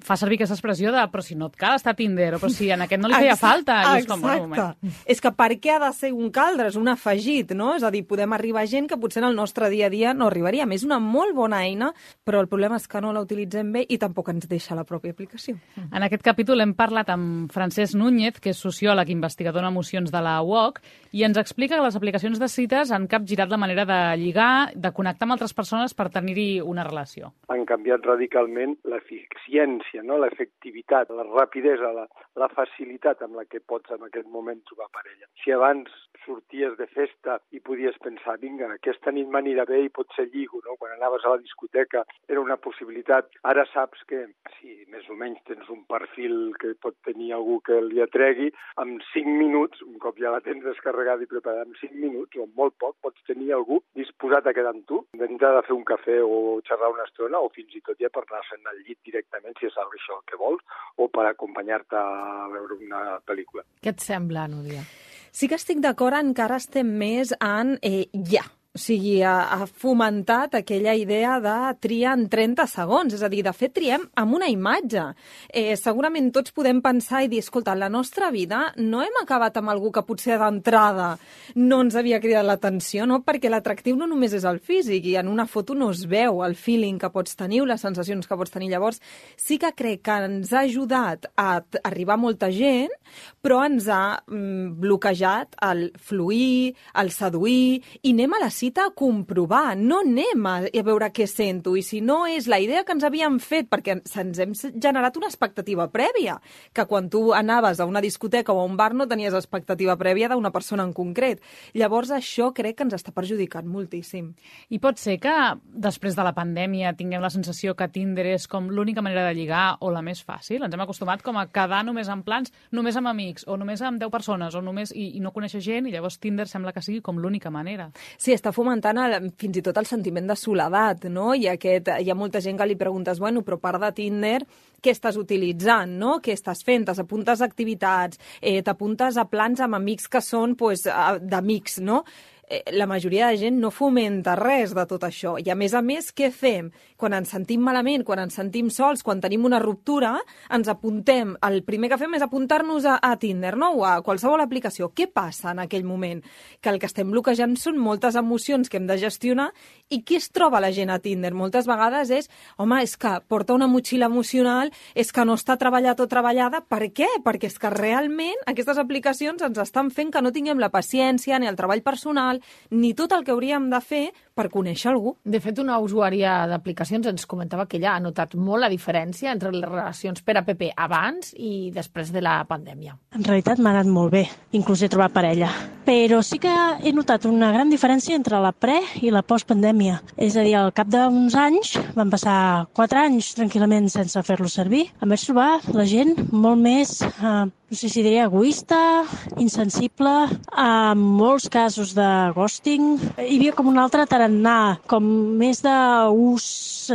Speaker 2: fa servir aquesta expressió de però si no et cal estar a Tinder, o però si en aquest no li feia falta. I és com, bueno,
Speaker 13: exacte. És que per què ha de ser un caldre? És un afegit, no? És a dir, podem arribar a gent que potser en el nostre dia a dia no arribaríem. És una molt bona eina, però el problema és que no la utilitzem bé i tampoc ens deixa la pròpia aplicació.
Speaker 2: En aquest capítol hem parlat amb Francesc Núñez, que és sociòleg i investigador en emocions de la U O C, i ens explica que les aplicacions de cites han capgirat la manera de lligar, de connectar amb altres persones per tenir-hi una relació.
Speaker 15: Han canviat radicalment l'eficiència, no? L'efectivitat, la rapidesa, la, la facilitat amb la que pots en aquest moment trobar parella. Si abans sorties de festa i podies pensar, vinga, aquesta nit m'anirà bé i potser lligo, no? Quan anaves a la discoteca era una possibilitat. Ara saps que si més o menys tens un perfil que pot tenir algú que li atregui, en cinc minuts, un cop ja la tens descarregada i preparada, en cinc minuts o molt poc pots tenir algú disposat a quedar amb tu, d'entrar a fer un cafè o xerrar una estona, o fins i tot ja per anar-se'n al llit directament, si és això el que vols, o per acompanyar-te a veure una pel·lícula.
Speaker 3: Què et sembla, Núria?
Speaker 13: Sí que estic d'acord, encara estem més en eh, ja. O sigui, ha, ha fomentat aquella idea de triar en trenta segons. És a dir, de fet, triem amb una imatge. Eh, segurament tots podem pensar i dir, escolta, la nostra vida no hem acabat amb algú que potser d'entrada no ens havia cridat l'atenció, no? Perquè l'atractiu no només és el físic i en una foto no es veu el feeling que pots tenir o les sensacions que pots tenir. Llavors, sí que crec que ens ha ajudat a arribar a molta gent, però ens ha mm, bloquejat el fluir, el seduir, i anem a la cita a comprovar, no anem a, a veure què sento, i si no és la idea que ens havíem fet, perquè ens hem generat una expectativa prèvia, que quan tu anaves a una discoteca o a un bar no tenies expectativa prèvia d'una persona en concret. Llavors això crec que ens està perjudicant moltíssim.
Speaker 2: I pot ser que després de la pandèmia tinguem la sensació que Tinder és com l'única manera de lligar o la més fàcil? Ens hem acostumat com a quedar només en plans, només amb amics, o només amb deu persones, o només i, i no conèixer gent, i llavors Tinder sembla que sigui com l'única manera.
Speaker 13: Sí, està fomentant el, fins i tot el sentiment de soledat, no? I aquest, hi ha molta gent que li preguntes, bueno, però a part de Tinder, què estàs utilitzant, no? Què estàs fent? T'apuntes a activitats, eh, t'apuntes a plans amb amics que són pues, d'amics, no? eh, la majoria de gent no fomenta res de tot això. I a més a més, què fem? Quan ens sentim malament, quan ens sentim sols, quan tenim una ruptura, ens apuntem, el primer que fem és apuntar-nos a, a Tinder, no? O a qualsevol aplicació. Què passa en aquell moment? Que el que estem bloquejant són moltes emocions que hem de gestionar. I qui es troba la gent a Tinder? Moltes vegades és, home, és que porta una motxilla emocional, és que no està treballat o treballada. Per què? Perquè és que realment aquestes aplicacions ens estan fent que no tinguem la paciència, ni el treball personal, ni tot el que hauríem de fer per conèixer algú.
Speaker 3: De fet, una usuària d'aplicacions ens comentava que ella ha notat molt la diferència entre les relacions per app abans i després de la pandèmia.
Speaker 16: En realitat m'ha anat molt bé, inclús he trobat parella. Però sí que he notat una gran diferència entre la pre i la postpandèmia. És a dir, al cap d'uns anys, van passar quatre anys tranquil·lament sense fer-lo servir, em vaig trobar la gent molt més, eh, no sé si diria egoista, insensible, amb molts casos de ghosting. Hi havia com un altre tarannà, com més d'ús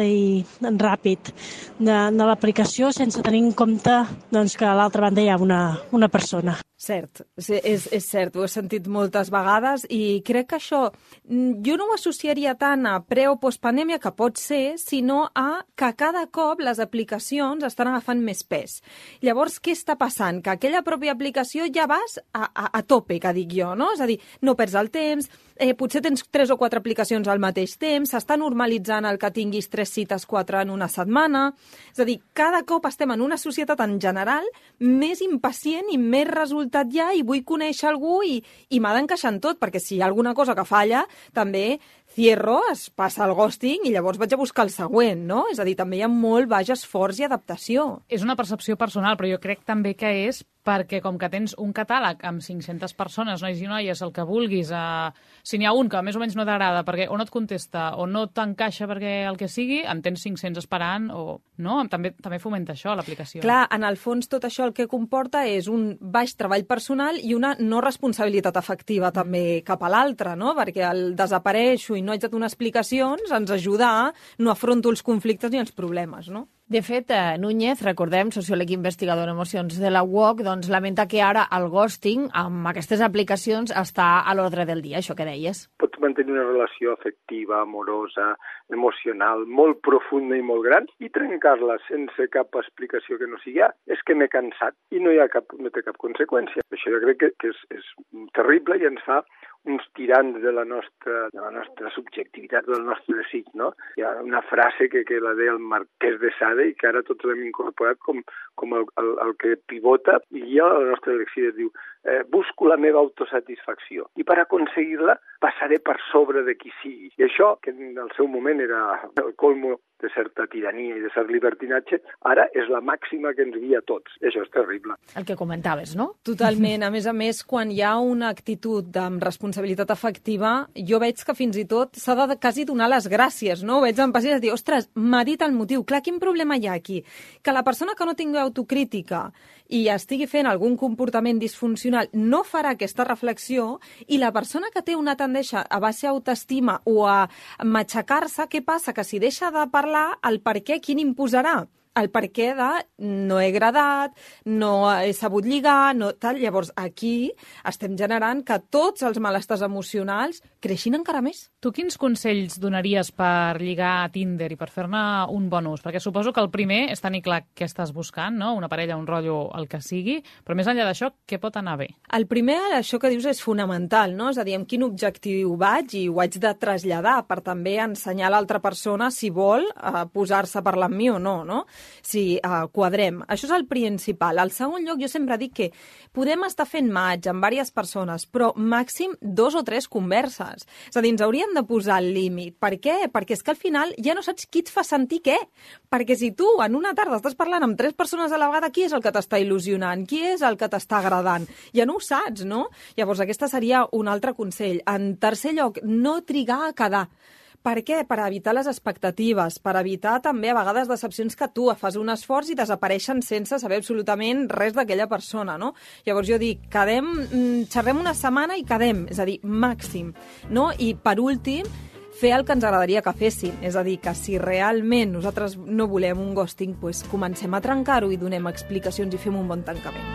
Speaker 16: i ràpid de, de l'aplicació sense tenir en compte doncs, que a l'altra banda hi ha una, una persona.
Speaker 13: Cert, és, és cert, ho he sentit moltes vegades i crec que això jo no ho associaria tant a pre o postpandèmia, que pot ser, sinó a que cada cop les aplicacions estan agafant més pes. Llavors, què està passant? Que aquella pròpia aplicació ja vas a, a, a tope, que dic jo, no? És a dir, no perds el temps, eh, potser tens tres o quatre aplicacions al mateix temps, s'està normalitzant el que tinguis tres cites, quatre en una setmana. És a dir, cada cop estem en una societat en general més impacient i més resultat ja i vull conèixer algú i, i m'ha d'encaixar en tot, perquè si hi ha alguna cosa que falla, també cierro, es passa el ghosting i llavors vaig a buscar el següent, no? És a dir, també hi ha molt baix esforç i adaptació.
Speaker 2: És una percepció personal, però jo crec també que és perquè com que tens un catàleg amb cinc-centes persones, nois i noies, el que vulguis, eh, si n'hi ha un que més o menys no t'agrada perquè o no et contesta o no t'encaixa perquè el que sigui, en tens cinc-cents esperant, o no? També, també fomenta això, l'aplicació.
Speaker 13: Clar, en el fons tot això el que comporta és un baix treball personal i una no responsabilitat efectiva també cap a l'altre, no? Perquè el desapareixo i no haig de donar explicacions ens ajuda a no afronto els conflictes ni els problemes, no?
Speaker 3: De fet, eh, Núñez, recordem, sociòleg investigador en emocions de la U O C, doncs lamenta que ara el ghosting amb aquestes aplicacions està a l'ordre del dia, això que deies.
Speaker 15: Pots mantenir una relació afectiva, amorosa, emocional, molt profunda i molt gran, i trencar-la sense cap explicació que no sigui, ah, és que m'he cansat, i no hi ha cap, no té cap conseqüència. Això jo crec que, que és, és terrible i ens fa uns tirants de la nostra, de la nostra subjectivitat, del nostre desig, no? Hi ha una frase que, que la deia el Marquès de Sade i que ara tots l'hem incorporat com, com el, el, el que pivota i guia la nostra elecció. Es diu, eh, busco la meva autosatisfacció i per aconseguir-la passaré per sobre de qui sigui. I això, que en el seu moment era el colmo de certa tirania i de cert libertinatge, ara és la màxima que ens guia a tots. I això és terrible.
Speaker 3: El que comentaves, no?
Speaker 13: Totalment. A més a més, quan hi ha una actitud amb responsabilitat efectiva, jo veig que fins i tot s'ha de quasi donar les gràcies, no? Ho veig en passi de dir, ostres, m'ha dit el motiu. Clar, quin problema hi ha aquí? Que la persona que no tingui autocrítica i estigui fent algun comportament disfuncional no farà aquesta reflexió, i la persona que té una tendència a baixa autoestima o a matxacar-se, què passa? Que si deixa de parlar, el per què, qui n'imposarà? El per què de no he agradat, no he sabut lligar, no tal. Llavors, aquí estem generant que tots els malestars emocionals creixin encara més.
Speaker 2: Tu quins consells donaries per lligar a Tinder i per fer-ne un bon ús? Perquè suposo que el primer és tenir clar què estàs buscant, no? Una parella, un rotllo, el que sigui, però més enllà d'això, què pot anar bé?
Speaker 13: El primer, això que dius, és fonamental, no? És a dir, amb quin objectiu vaig i ho haig de traslladar per també ensenyar a l'altra persona, si vol, a posar-se a parlar amb mi o no, no? Si uh, quadrem. Això és el principal. Al segon lloc, jo sempre dic que podem estar fent match amb diverses persones, però màxim dos o tres converses. És a dir, ens hauríem de posar el límit. Per què? Perquè és que al final ja no saps qui et fa sentir què. Perquè si tu en una tarda estàs parlant amb tres persones a la vegada, qui és el que t'està il·lusionant? Qui és el que t'està agradant? Ja no ho saps, no? Llavors, aquesta seria un altre consell. En tercer lloc, no trigar a quedar. Per què? Per evitar les expectatives, per evitar també a vegades decepcions que tu fas un esforç i desapareixen sense saber absolutament res d'aquella persona, no? Llavors jo dic, quedem, xerrem una setmana i quedem, és a dir, màxim, no? I per últim, fer el que ens agradaria que fessin, és a dir, que si realment nosaltres no volem un ghosting, doncs comencem a trencar-ho i donem explicacions i fem un bon tancament.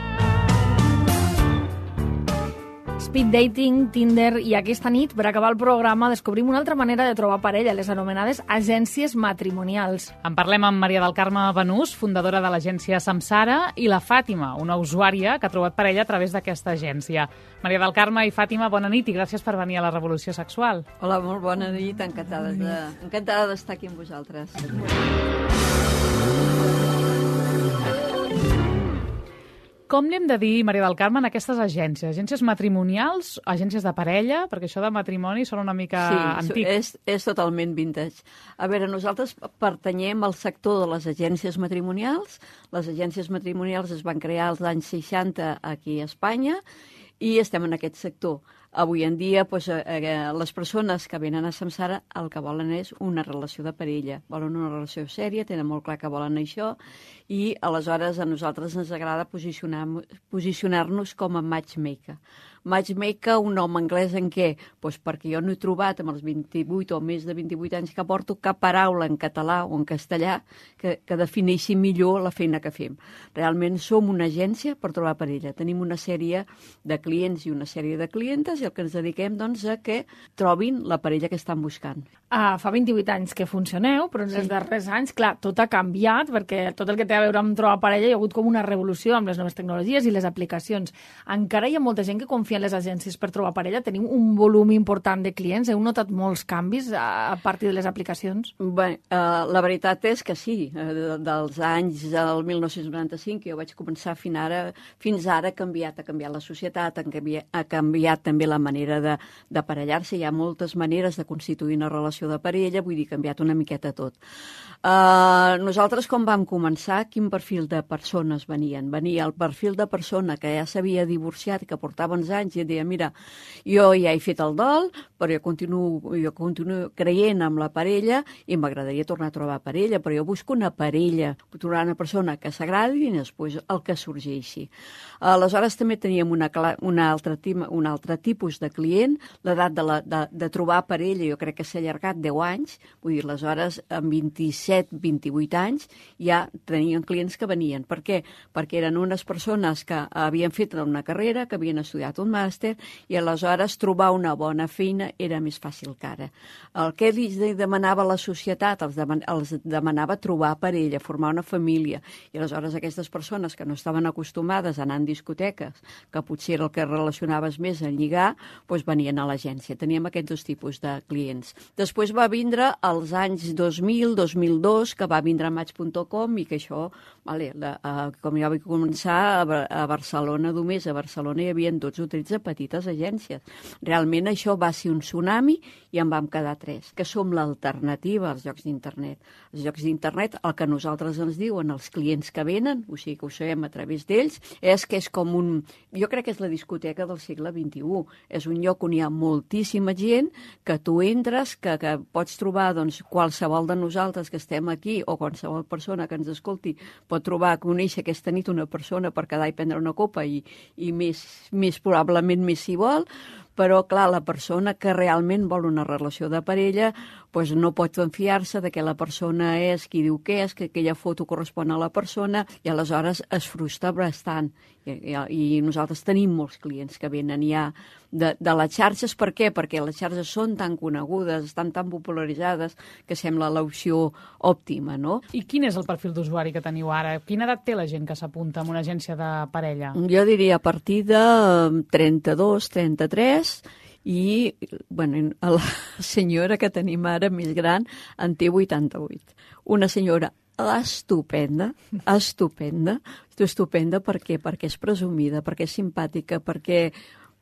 Speaker 3: speed dating, Tinder, i aquesta nit, per acabar el programa, descobrim una altra manera de trobar parella, les anomenades agències matrimonials.
Speaker 2: En parlem amb Maria del Carme Benús, fundadora de l'agència Samsara, i la Fàtima, una usuària que ha trobat parella a través d'aquesta agència. Maria del Carme i Fàtima, bona nit i gràcies per venir a la Revolució Sexual.
Speaker 17: Hola, molt bona nit, encantada de, encantada d'estar aquí amb vosaltres.
Speaker 2: Com n'hem de dir, Maria del Carme, en aquestes agències? Agències matrimonials, agències de parella? Perquè això de matrimoni sona una mica
Speaker 17: sí,
Speaker 2: antic.
Speaker 17: Sí, és, és totalment vintage. A veure, nosaltres pertanyem al sector de les agències matrimonials. Les agències matrimonials es van crear als anys seixanta aquí a Espanya i estem en aquest sector. Avui en dia, doncs, eh, les persones que venen a Samsara el que volen és una relació de parella. Volen una relació sèria, tenen molt clar que volen això, i aleshores a nosaltres ens agrada posicionar, posicionar-nos com a matchmaker. Matchmaker, un nom anglès en què? Pues perquè jo no he trobat amb els vint-i-vuit o més de vint-i-vuit anys que porto cap paraula en català o en castellà que, que defineixi millor la feina que fem. Realment som una agència per trobar parella. Tenim una sèrie de clients i una sèrie de clientes i el que ens dediquem doncs, a que trobin la parella que estan buscant.
Speaker 3: Ah, fa vint-i-vuit anys que funcioneu, però en els sí. darrers anys, clar, tot ha canviat, perquè tot el que té a veure amb trobar parella hi ha hagut com una revolució amb les noves tecnologies i les aplicacions. Encara hi ha molta gent que confia en les agències per trobar parella. Tenim un volum important de clients. Heu notat molts canvis a partir de les aplicacions?
Speaker 17: Bé, uh, la veritat és que sí. Uh, dels anys del mil nou-cents noranta-cinc, que jo vaig començar fins ara, fins ara ha canviat. Ha canviat la societat, ha canviat, ha canviat també la manera de, de parellar-se. Hi ha moltes maneres de constituir una relació de parella, vull dir, canviat una miqueta tot. Uh, nosaltres, com vam començar, quin perfil de persones venien? Venia el perfil de persona que ja s'havia divorciat i que portava uns anys i deia, mira, jo ja he fet el dol, però jo continuo, jo continuo creient en la parella i m'agradaria tornar a trobar parella, però jo busco una parella, trobar una persona que s'agradi i després el que sorgeixi. Aleshores també teníem una, una altra, un altre tipus de client, l'edat de, la, de, de trobar parella jo crec que s'ha allargat deu anys, vull dir, aleshores amb vint-i-set, vint-i-vuit anys ja tenien clients que venien. Per què? Perquè eren unes persones que havien fet una carrera, que havien estudiat un màster i aleshores trobar una bona feina era més fàcil que ara. El que els demanava la societat, els, deman els demanava trobar parella, formar una família, i aleshores aquestes persones que no estaven acostumades a anar en discoteques, que potser era el que relacionaves més en lligar, doncs venien a l'agència. Teníem aquests dos tipus de clients. Després va vindre als anys dos mil, dos mil dos, que va vindre a match punt com i que això, vale, la, uh, com ja vaig començar, a, a Barcelona només, a Barcelona hi havia dotze o tretze petites agències. Realment això va ser un tsunami i en vam quedar tres, que som l'alternativa als llocs d'internet. Els llocs d'internet, el que nosaltres ens diuen els clients que venen, o sigui que ho sabem a través d'ells, és que és com un... Jo crec que és la discoteca del segle vint-i-u. És un lloc on hi ha moltíssima gent que tu entres, que, que pots trobar doncs, qualsevol de nosaltres que estem aquí o qualsevol persona que ens escolti pot trobar, conèixer aquesta nit una persona per quedar i prendre una copa i, i més, més probablement més si vol, però, clar, la persona que realment vol una relació de parella doncs no pot confiar-se de que la persona és qui diu que és, que aquella foto correspon a la persona i aleshores es frustra bastant. I, i, i nosaltres tenim molts clients que venen ja de, de les xarxes. Per què? Perquè les xarxes són tan conegudes, estan tan popularitzades que sembla l'opció òptima, no?
Speaker 2: I quin és el perfil d'usuari que teniu ara? Quina edat té la gent que s'apunta a una agència de parella?
Speaker 17: Jo diria a partir de trenta-dos, trenta-tres, i bueno, la senyora que tenim ara més gran en té vuitanta-vuit. Una senyora estupenda, estupenda, estupenda per què? Perquè és presumida, perquè és simpàtica, perquè,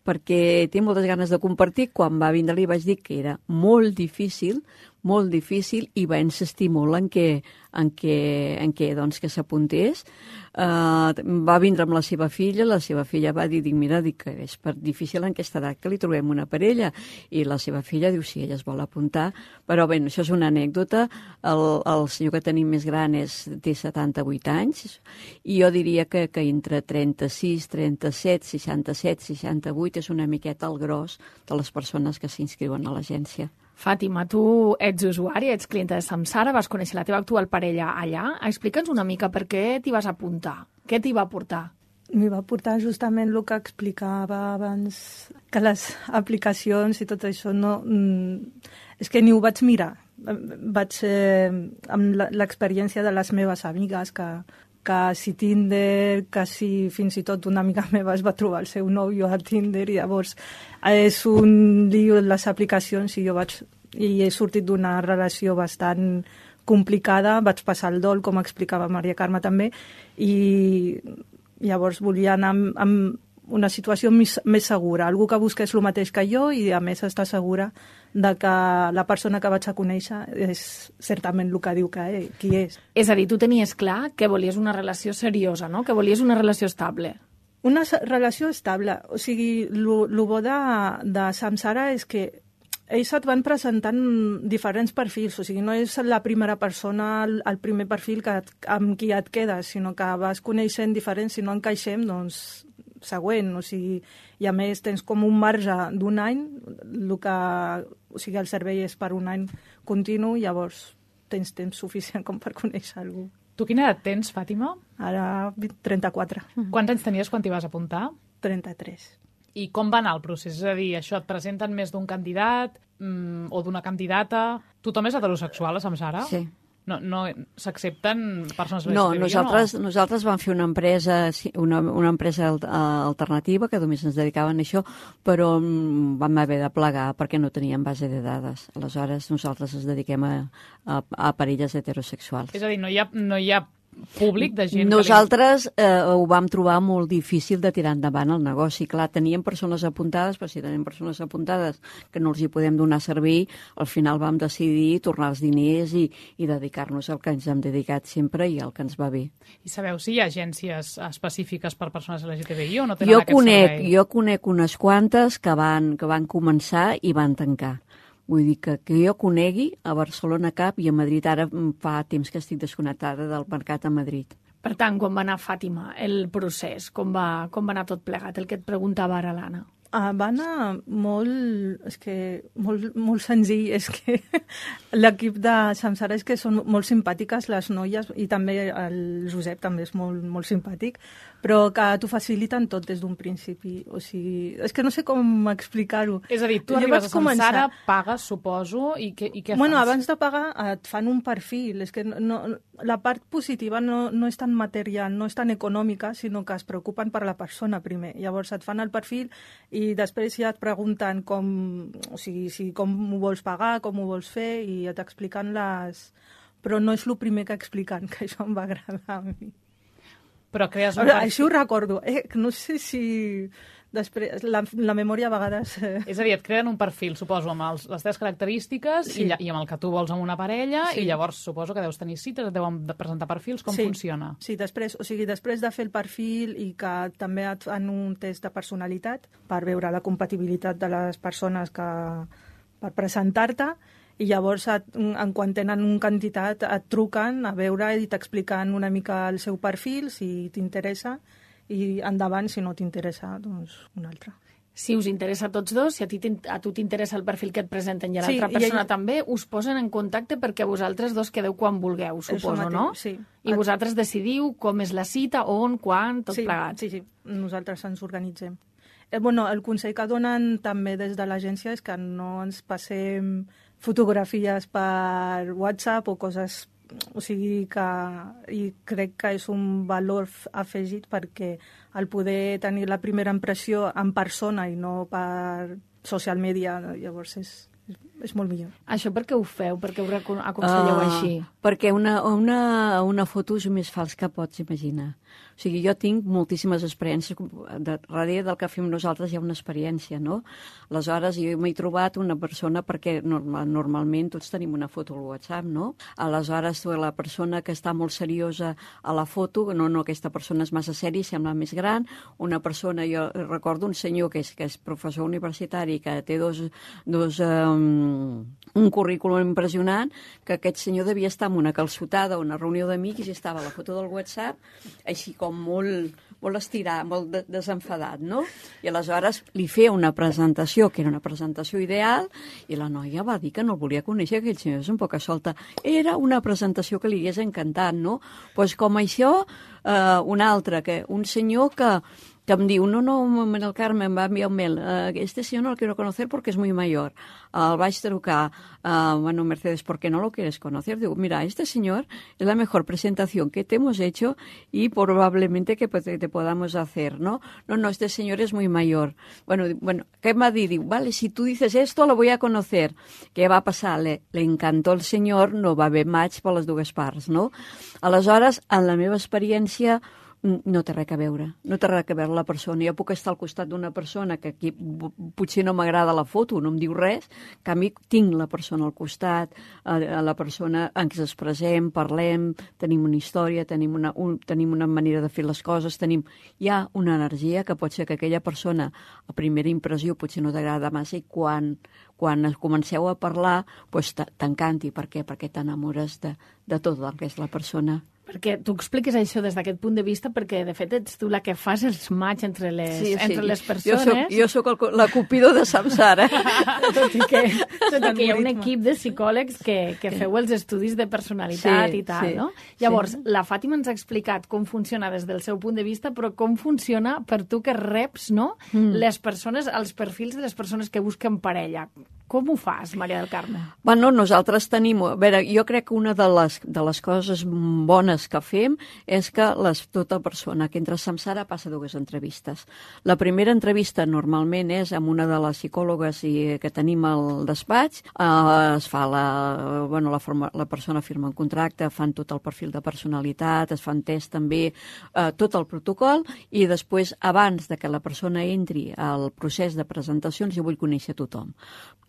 Speaker 17: perquè té moltes ganes de compartir. Quan va vindre li vaig dir que era molt difícil, molt difícil i va insistir molt en què, en què, en què doncs, que s'apuntés. Uh, va vindre amb la seva filla, la seva filla va dir, dic, mira, dic que és per difícil en aquesta edat que li trobem una parella, i la seva filla diu, sí, ella es vol apuntar, però bé, això és una anècdota. El, el senyor que tenim més gran és, té setanta-vuit anys, i jo diria que, que entre trenta-sis, trenta-set, seixanta-set, seixanta-vuit és una miqueta el gros de les persones que s'inscriuen a l'agència.
Speaker 3: Fàtima, tu ets usuària, ets clienta de Samsara, vas conèixer la teva actual parella allà. Explica'ns una mica per què t'hi vas apuntar, què t'hi va portar.
Speaker 18: m'hi va portar justament el que explicava abans, que les aplicacions i tot això no... És que ni ho vaig mirar. Vaig eh, amb l'experiència de les meves amigues, que, que si Tinder, que si fins i tot una amiga meva es va trobar el seu nòvio a Tinder, i llavors és un lío de les aplicacions, i jo vaig... I he sortit d'una relació bastant complicada, vaig passar el dol, com explicava Maria Carme també, i llavors volia anar amb, amb una situació més, més segura, algú que busqués el mateix que jo i a més estar segura de que la persona que vaig a conèixer és certament el que diu que és, qui és.
Speaker 3: És a dir, tu tenies clar que volies una relació seriosa, no? Que volies una relació estable.
Speaker 18: Una relació estable. O sigui, el bo de, de Samsara és que ells et van presentant diferents perfils, o sigui, no és la primera persona, el, el primer perfil que et, amb qui et quedes, sinó que vas coneixent diferents, si no encaixem, doncs següent, o sigui, i a més tens com un marge d'un any, el que, o sigui, el servei és per un any continu, llavors tens temps suficient com per conèixer algú.
Speaker 2: Tu quina edat tens, Fàtima?
Speaker 18: Ara trenta-quatre.
Speaker 2: Quants anys tenies quan t'hi vas apuntar?
Speaker 18: trenta-tres.
Speaker 2: I com va anar el procés? És a dir, això et presenten més d'un candidat mm, o d'una candidata? Tothom és heterosexual a Samsara?
Speaker 17: Sí.
Speaker 2: No, no s'accepten persones L G T B I?
Speaker 17: No, nosaltres, no? nosaltres vam fer una empresa, una, una empresa alternativa que només ens dedicaven a això, però vam haver de plegar perquè no teníem base de dades. Aleshores, nosaltres ens dediquem a, a, a parelles heterosexuals.
Speaker 2: És a dir, no hi ha, no hi ha públic de gent...
Speaker 17: Nosaltres que li... eh, ho vam trobar molt difícil de tirar endavant el negoci. Clar, teníem persones apuntades, però si tenim persones apuntades que no els hi podem donar servei, al final vam decidir tornar els diners i, i dedicar-nos al que ens hem dedicat sempre i al que ens va bé.
Speaker 2: I sabeu si hi ha agències específiques per persones L G T B I o no tenen
Speaker 17: jo
Speaker 2: aquest
Speaker 17: conec,
Speaker 2: servei?
Speaker 17: Jo conec unes quantes que van, que van començar i van tancar. Vull dir que, que jo conegui a Barcelona cap i a Madrid ara fa temps que estic desconnectada del mercat a Madrid.
Speaker 3: Per tant, quan va anar Fàtima, el procés, com va, com va anar tot plegat, el que et preguntava ara l'Anna?
Speaker 18: Uh, va anar molt, és que, molt, molt senzill. És que l'equip de Samsara és que són molt simpàtiques les noies i també el Josep també és molt, molt simpàtic, però que t'ho faciliten tot des d'un principi. O sigui, és que no sé com explicar-ho.
Speaker 2: És a dir, tu
Speaker 18: jo
Speaker 2: arribes a
Speaker 18: començar...
Speaker 2: Samsara, pagues, suposo, i què, i què
Speaker 18: bueno,
Speaker 2: fas?
Speaker 18: Abans de pagar et fan un perfil. És que no, la part positiva no, no és tan material, no és tan econòmica, sinó que es preocupen per la persona primer. Llavors et fan el perfil i després ja et pregunten com, o sigui, si, com ho vols pagar, com ho vols fer, i et expliquen les... Però no és el primer que expliquen, que això em va agradar a mi.
Speaker 2: Però crees un
Speaker 18: perfil...
Speaker 2: perfil...
Speaker 18: Això ho recordo. Eh? No sé si... Després, la, la memòria a vegades... Eh...
Speaker 2: És a dir, et creen un perfil, suposo, amb els, les teves característiques
Speaker 18: sí.
Speaker 2: i, i amb el que tu vols amb una parella,
Speaker 18: sí.
Speaker 2: i llavors suposo que deus tenir cites, et deuen presentar perfils, com
Speaker 18: sí.
Speaker 2: funciona?
Speaker 18: Sí, després, o sigui, després de fer el perfil i que també et fan un test de personalitat per veure la compatibilitat de les persones que, per presentar-te, i llavors, et, en quan tenen un candidat, et truquen a veure i t'expliquen una mica el seu perfil, si t'interessa, i endavant, si no t'interessa, doncs un altre.
Speaker 3: Si us interessa a tots dos, si a, ti a tu t'interessa el perfil que et presenten i a l'altra
Speaker 18: sí,
Speaker 3: persona
Speaker 18: ell...
Speaker 3: també, us posen en contacte perquè vosaltres dos quedeu quan vulgueu, suposo, no?
Speaker 18: Sí.
Speaker 3: I vosaltres decidiu com és la cita, on, quan, tot
Speaker 18: sí,
Speaker 3: plegat.
Speaker 18: Sí, sí, nosaltres ens organitzem. Eh, bueno, el consell que donen també des de l'agència és que no ens passem fotografies per WhatsApp o coses... O sigui que i crec que és un valor afegit perquè el poder tenir la primera impressió en persona i no per social media, llavors és, és, és molt millor.
Speaker 3: Això per què ho feu? Per què ho aconselleu uh, així?
Speaker 17: Perquè una, una, una foto és el més fals que pots imaginar. O sigui, jo tinc moltíssimes experiències. De, darrere del que fem nosaltres hi ha una experiència, no? Aleshores, jo m'he trobat una persona, perquè normal, normalment tots tenim una foto al WhatsApp, no? Aleshores, la persona que està molt seriosa a la foto, no, no, aquesta persona és massa sèria, sembla més gran. Una persona, jo recordo un senyor que és, que és professor universitari, que té dos, dos um, un currículum impressionant, que aquest senyor devia estar en una calçotada o una reunió d'amics i estava la foto del WhatsApp, així com molt, molt estirat, molt de desenfadat, no? I aleshores li feia una presentació, que era una presentació ideal, i la noia va dir que no el volia conèixer, que aquell senyor és un poc solta. Era una presentació que li hagués encantat, no? Pues com això, eh, un altre, que un senyor que que em diu, no, no, el Carme em va enviar un mail, uh, este señor no lo quiero conocer porque es muy mayor, al vaig trucar, uh, bueno, Mercedes, ¿por qué no lo quieres conocer? Digo, mira, este señor es la mejor presentación que te hemos hecho y probablemente que pues, te podamos hacer, ¿no? No, no, este señor es muy mayor. Bueno, bueno, ¿qué me diu? Digo, vale, si tú dices esto, lo voy a conocer. Què va passar? Le, le encantó el senyor, no va haver match per les dues parts, no? Aleshores, en la meva experiència, no té res a veure, no té res a veure la persona. Jo puc estar al costat d'una persona que aquí potser no m'agrada la foto, no em diu res, que a mi tinc la persona al costat, a la persona ens expressem, parlem, tenim una història, tenim una, un, tenim una manera de fer les coses, tenim ja una energia que pot ser que aquella persona, a primera impressió, potser no t'agrada massa i quan, quan comenceu a parlar doncs t'encanti. Per què? Perquè t'enamores de, de tot el que és la persona.
Speaker 3: Perquè tu expliques això des d'aquest punt de vista perquè, de fet, ets tu la que fas els match entre les, sí, sí. entre les persones.
Speaker 17: Jo soc, jo soc la Cupido de Samsara.
Speaker 3: tot i que, tot i que hi ha un equip de psicòlegs que, que feu els estudis de personalitat sí, i tal, sí, no? Llavors, sí. La Fàtima ens ha explicat com funciona des del seu punt de vista, però com funciona per tu que reps, no?, mm. les persones, els perfils de les persones que busquen parella. Com ho fas, Maria del Carme?
Speaker 17: Bueno, nosaltres tenim... A veure, jo crec que una de les, de les coses bones que fem és que les, tota persona que entra a Samsara passa dues entrevistes. La primera entrevista normalment és amb una de les psicòlogues i, que tenim al despatx. Eh, es fa la... Bueno, la, forma, la persona firma un contracte, fan tot el perfil de personalitat, es fan test també, eh, tot el protocol, i després, abans de que la persona entri al procés de presentacions, jo vull conèixer tothom.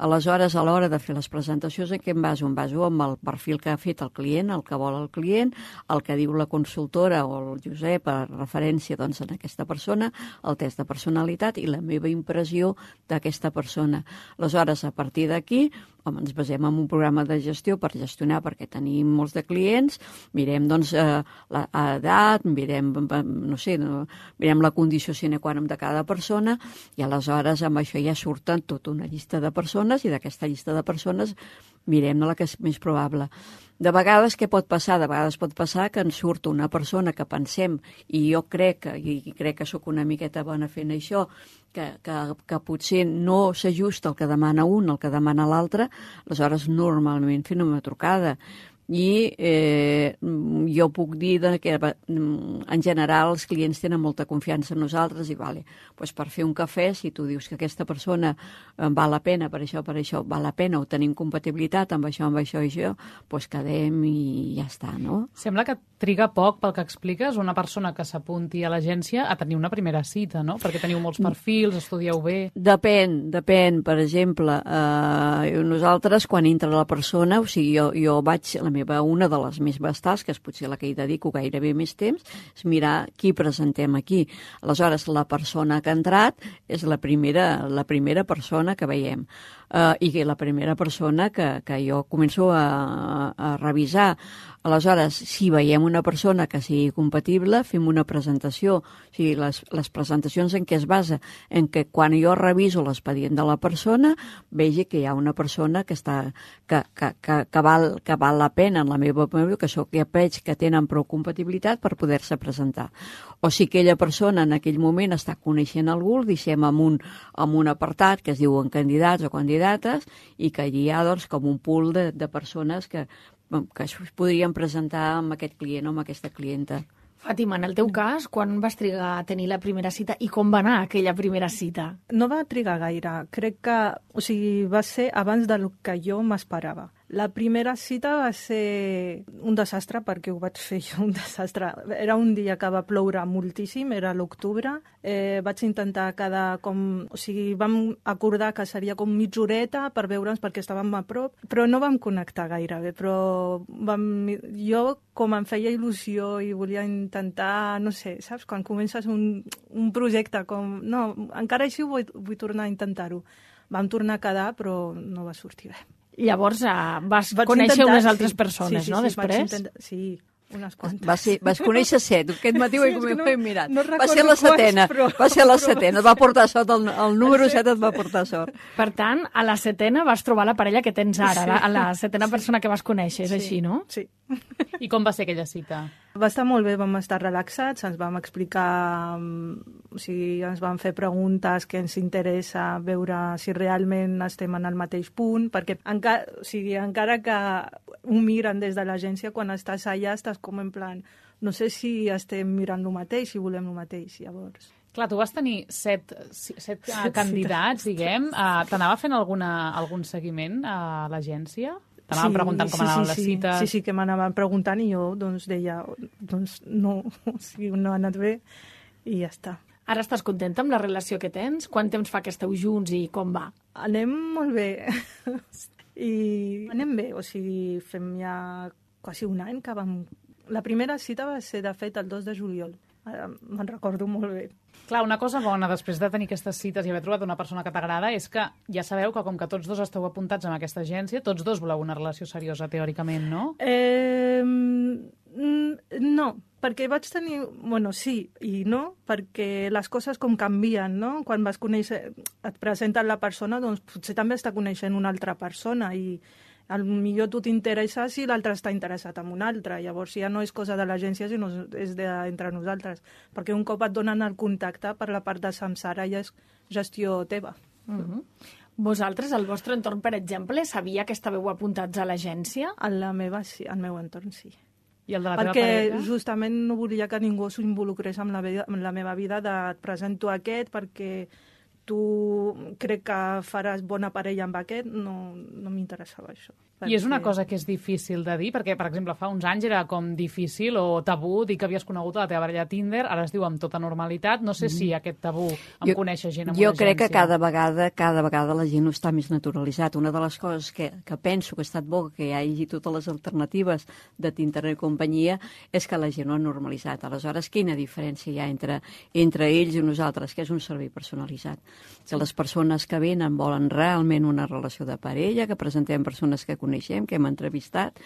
Speaker 17: Aleshores, a l'hora de fer les presentacions, en què em baso? Em baso amb el perfil que ha fet el client, el que vol el client, el que diu la consultora o el Josep per referència doncs, en aquesta persona, el test de personalitat i la meva impressió d'aquesta persona. Aleshores, a partir d'aquí, home, ens basem en un programa de gestió per gestionar, perquè tenim molts de clients, mirem doncs, eh, l'edat, mirem, no sé, no, mirem la condició sine qua non de cada persona, i aleshores amb això ja surten tota una llista de persones, i d'aquesta llista de persones mirem la que és més probable. De vegades què pot passar? De vegades pot passar que ens surt una persona que pensem, i jo crec, i crec que sóc una miqueta bona fent això, que, que, que potser no s'ajusta el que demana un, el que demana l'altre, aleshores normalment fem una trucada. I eh, jo puc dir que en general els clients tenen molta confiança en nosaltres i vale, doncs per fer un cafè, si tu dius que aquesta persona val la pena per això, per això, val la pena o tenim compatibilitat amb això, amb això i això, doncs quedem i ja està, no?
Speaker 2: Sembla que triga poc, pel que expliques, una persona que s'apunti a l'agència a tenir una primera cita, no? Perquè teniu molts perfils, estudieu bé...
Speaker 17: Depèn, depèn. Per exemple, eh, nosaltres quan entra la persona, o sigui, jo, jo vaig... La meva, una de les més bastals, que és potser la que hi dedico gairebé més temps, és mirar qui presentem aquí. Aleshores, la persona que ha entrat és la primera, la primera persona que veiem. Uh, i la primera persona que, que jo començo a, a revisar. Aleshores, si veiem una persona que sigui compatible, fem una presentació. O sigui, les, les presentacions en què es basa? En què quan jo reviso l'expedient de la persona, vegi que hi ha una persona que, està, que, que, que, que, val, que val la pena, en la meva opinió, que sóc ja veig que tenen prou compatibilitat per poder-se presentar. O si aquella persona en aquell moment està coneixent algú, el deixem amb un, amb un apartat que es diuen candidats o candidates i que allí hi ha doncs, com un pool de, de persones que, que es podrien presentar amb aquest client o amb aquesta clienta.
Speaker 3: Fàtima, en el teu cas, quan vas trigar a tenir la primera cita i com va anar aquella primera cita?
Speaker 18: No va trigar gaire. Crec que o sigui, va ser abans del que jo m'esperava. La primera cita va ser un desastre, perquè ho vaig fer jo, un desastre. Era un dia que va ploure moltíssim, era l'octubre. Eh, vaig intentar quedar com... O sigui, vam acordar que seria com mitja horeta per veure'ns perquè estàvem a prop, però no vam connectar gaire bé. Però vam... jo, com em feia il·lusió i volia intentar, no sé, saps? Quan comences un, un projecte com... No, encara així vull, vull tornar a intentar-ho. Vam tornar a quedar, però no va sortir bé.
Speaker 3: Llavors uh, vas vaig conèixer intentar, unes altres persones, sí, sí, no,
Speaker 18: sí,
Speaker 3: després?
Speaker 18: Intentar, sí, Unes quantes.
Speaker 17: Va ser, vas conèixer set. Aquest matí ho he,
Speaker 18: Sí, és que no-
Speaker 17: he mirat.
Speaker 18: no
Speaker 17: va ser
Speaker 18: recordo
Speaker 17: la setena.
Speaker 18: quants, però-
Speaker 17: va ser la
Speaker 18: però-
Speaker 17: setena. Et va portar sort. El, el número set et va portar sort.
Speaker 3: Per tant, a la setena vas trobar la parella que tens ara,
Speaker 18: Sí.
Speaker 3: la, a la setena persona que vas conèixer, és
Speaker 18: Sí.
Speaker 3: així, no?
Speaker 18: Sí.
Speaker 2: I com va ser aquella cita?
Speaker 18: Va estar molt bé, vam estar relaxats, ens vam explicar, mm, o sigui, ens van fer preguntes que ens interessa veure si realment estem en el mateix punt, perquè encara, o sigui, encara que ho miren des de l'agència, quan estàs allà estàs com en plan, no sé si estem mirant el mateix, si volem el mateix, llavors.
Speaker 2: Clar, tu vas tenir set, set, set uh, candidats, diguem. Uh, T'anava fent alguna, algun seguiment a l'agència? T'anaven preguntant com
Speaker 18: sí,
Speaker 2: anaven
Speaker 18: sí,
Speaker 2: les
Speaker 18: sí.
Speaker 2: cites?
Speaker 18: Sí, sí, que m'anaven preguntant i jo doncs, deia, doncs no, o sigui, no ha anat bé i ja està.
Speaker 3: Ara estàs contenta amb la relació que tens? Quant temps fa que esteu junts i com va?
Speaker 18: Anem molt bé. I anem bé, o sigui, fem ja quasi un any que vam... La primera cita va ser, de fet, el dos de juliol. Ara me'n recordo molt bé.
Speaker 2: Clar, una cosa bona després de tenir aquestes cites i haver trobat una persona que t'agrada és que ja sabeu que com que tots dos esteu apuntats en aquesta agència, tots dos voleu una relació seriosa, teòricament, no?
Speaker 18: Eh, no, perquè vaig tenir... Bueno, sí i no, perquè les coses com canvien, no? Quan vas conèixer, et presenten la persona, doncs potser també està coneixent una altra persona i al millor tu t'interesses i l'altre està interessat en un altre. Llavors ja no és cosa de l'agència, sinó és de, entre nosaltres. Perquè un cop et donen el contacte per la part de Samsara ja és gestió teva.
Speaker 3: Uh -huh. Vosaltres, el vostre entorn, per exemple, sabia que estàveu apuntats a l'agència?
Speaker 18: En la meva, sí, al meu entorn, sí.
Speaker 2: I el de la
Speaker 18: perquè
Speaker 2: teva parella?
Speaker 18: justament no volia que ningú s'involucrés amb, la vida, amb la meva vida de et presento aquest perquè tu crec que faràs bona parella amb aquest, no, no m'interessava això.
Speaker 2: I és una cosa que és difícil de dir, perquè, per exemple, fa uns anys era com difícil o tabú dir que havies conegut a la teva parella a Tinder, ara es diu amb tota normalitat. No sé si aquest tabú en
Speaker 17: Jo-
Speaker 2: conèixer gent amb
Speaker 17: Jo
Speaker 2: una
Speaker 17: crec que
Speaker 2: agència.
Speaker 17: cada vegada cada vegada la gent ho està més naturalitzat. Una de les coses que, que penso que ha estat bo que hi hagi totes les alternatives de Tinder i companyia és que la gent ho ha normalitzat. Aleshores, quina diferència hi ha entre, entre ells i nosaltres, que és un servei personalitzat. Que les persones que venen volen realment una relació de parella, que presentem persones que coneixem, que hem entrevistat,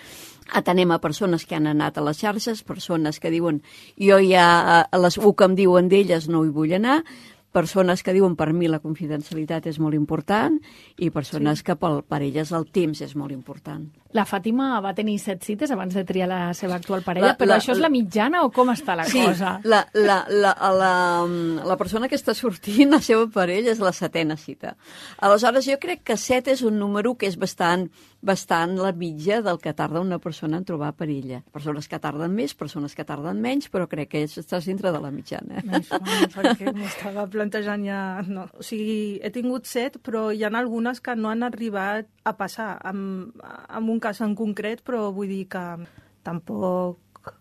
Speaker 17: atenem a persones que han anat a les xarxes, persones que diuen jo ja a les u que em diuen d'elles no hi vull anar, persones que diuen per mi la confidencialitat és molt important i persones
Speaker 3: Sí.
Speaker 17: que per, per elles el temps és molt important.
Speaker 3: La Fàtima va tenir set cites abans de triar la seva actual parella,
Speaker 17: La-
Speaker 3: però
Speaker 17: la-
Speaker 3: això és la mitjana o com està la
Speaker 17: sí,
Speaker 3: cosa?
Speaker 17: La, la, la, la, la persona que està sortint, la seva parella, és la setena cita. Aleshores, jo crec que set és un número que és bastant, bastant la mitja del que tarda una persona en trobar parella. Persones que tarden més, persones que tarden menys, però crec que estàs dintre de la mitjana.
Speaker 18: Menys mal, perquè m'estava plantejant ja... No. O sigui, he tingut set, però hi ha algunes que no han arribat a passar, amb, amb un cas en concret, però vull dir que tampoc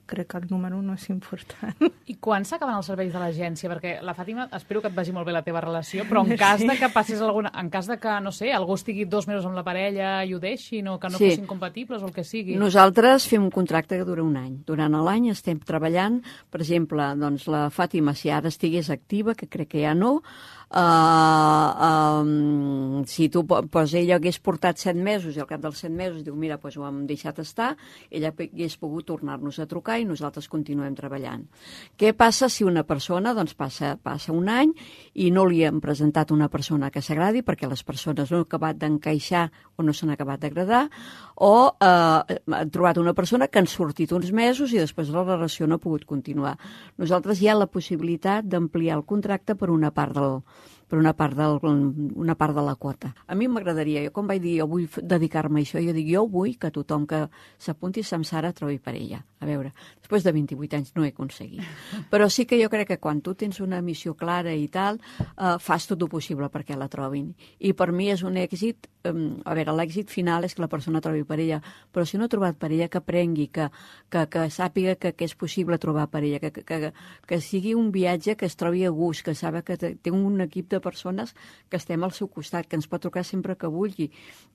Speaker 18: crec que el número no és important.
Speaker 2: I quan s'acaben els serveis de l'agència? Perquè la Fàtima, espero que et vagi molt bé la teva relació, però en cas de que passés alguna... En cas de que, no sé, algú estigui dos mesos amb la parella i ho deixin, o que no
Speaker 17: Sí.
Speaker 2: fossin compatibles, o el que sigui.
Speaker 17: Nosaltres fem un contracte que dura un any. Durant l'any estem treballant, per exemple, doncs la Fàtima, si ara estigués activa, que crec que ja no, uh, um, si tu, pues, ella hagués portat set mesos i al cap dels set mesos diu, mira, pues, ho hem deixat estar, ella hagués pogut tornar-nos a trucar i nosaltres continuem treballant. Què passa si una persona doncs, passa, passa un any i no li hem presentat una persona que s'agradi perquè les persones no han acabat d'encaixar o no s'han acabat d'agradar, o eh, han trobat una persona que han sortit uns mesos i després la relació no ha pogut continuar. Nosaltres hi ha la possibilitat d'ampliar el contracte per una part del per una part, del, una part de la quota. A mi m'agradaria, jo quan vaig dir jo vull dedicar-me a això, jo dic jo vull que tothom que s'apunti a Samsara trobi parella. A veure, després de vint-i-vuit anys no he aconseguit. Però sí que jo crec que quan tu tens una missió clara i tal, eh, fas tot el possible perquè la trobin. I per mi és un èxit, eh, a veure, l'èxit final és que la persona trobi parella, però si no ha trobat parella, que aprengui, que, que, que sàpiga que, que és possible trobar parella, que, que, que, que sigui un viatge que es trobi a gust, que sàpiga que té un equip de persones que estem al seu costat, que ens pot trucar sempre que vulgui.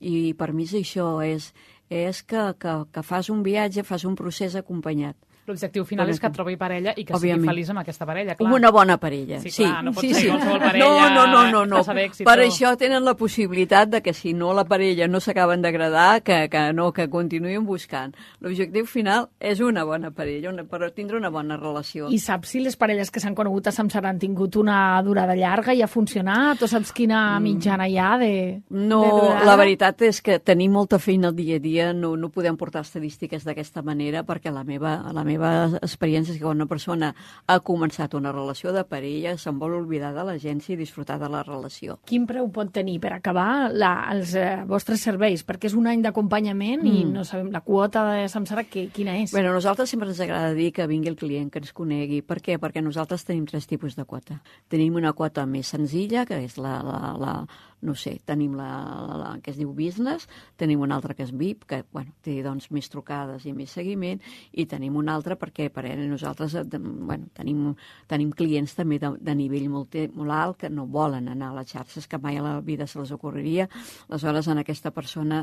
Speaker 17: I per mi és això, és, és que, que, que fas un viatge, fas un procés acompanyat.
Speaker 2: L'objectiu final és que et trobi parella i que
Speaker 17: Òbviament.
Speaker 2: sigui feliç amb aquesta parella, clar.
Speaker 17: Una bona parella, sí.
Speaker 2: Sí, clar, no pot
Speaker 17: sí,
Speaker 2: ser
Speaker 17: sí.
Speaker 2: qualsevol parella
Speaker 17: no, no, no, no, no.
Speaker 2: de saber èxit.
Speaker 17: Per això tenen la possibilitat de que si no la parella no s'acaben d'agradar, que, que no, que continuïn buscant. L'objectiu final és una bona parella, una, per tindre una bona relació.
Speaker 3: I saps si les parelles que s'han conegut a Samsara han tingut una durada llarga i ha funcionat? O saps quina mitjana hi ha de,
Speaker 17: No,
Speaker 3: de durada?
Speaker 17: la veritat és que tenim molta feina al dia a dia, no, no podem portar estadístiques d'aquesta manera, perquè la meva, la meva experiència és que quan una persona ha començat una relació de parella se'n vol oblidar de l'agència i disfrutar de la relació.
Speaker 3: Quin preu pot tenir per acabar la, els eh, vostres serveis? Perquè és un any d'acompanyament i
Speaker 17: Mm.
Speaker 3: no sabem la quota de Samsara que, quina és.
Speaker 17: Bueno, a nosaltres sempre ens agrada dir que vingui el client, que ens conegui. Per què? Perquè nosaltres tenim tres tipus de quota. Tenim una quota més senzilla, que és la, la, la no sé, tenim la, la, la que es diu business, tenim una altra que és V I P, que bueno, té doncs, més trucades i més seguiment, i tenim una altra perquè per nosaltres eh, bueno, tenim, tenim clients també de, de nivell molt, molt alt que no volen anar a les xarxes, que mai a la vida se les ocorreria. Aleshores, en aquesta persona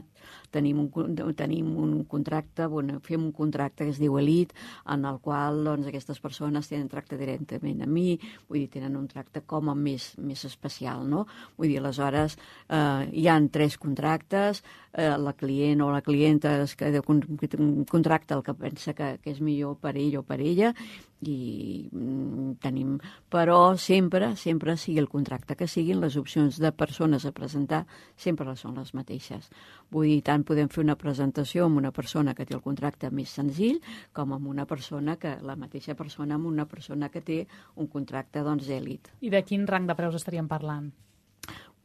Speaker 17: tenim un, tenim un contracte, bueno, fem un contracte que es diu Elite, en el qual doncs, aquestes persones tenen tracte directament a mi, vull dir, tenen un tracte com a més, més especial, no? Vull dir, aleshores, eh, hi han tres contractes, eh, la client o la clienta es que contracta el que pensa que, que és millor per ell o per ella, i mm, tenim, però sempre, sempre sigui el contracte que siguin, les opcions de persones a presentar sempre són les mateixes. Vull dir, tant podem fer una presentació amb una persona que té el contracte més senzill com amb una persona que, la mateixa persona amb una persona que té un contracte, doncs, èlit.
Speaker 2: I de quin rang de preus estaríem parlant?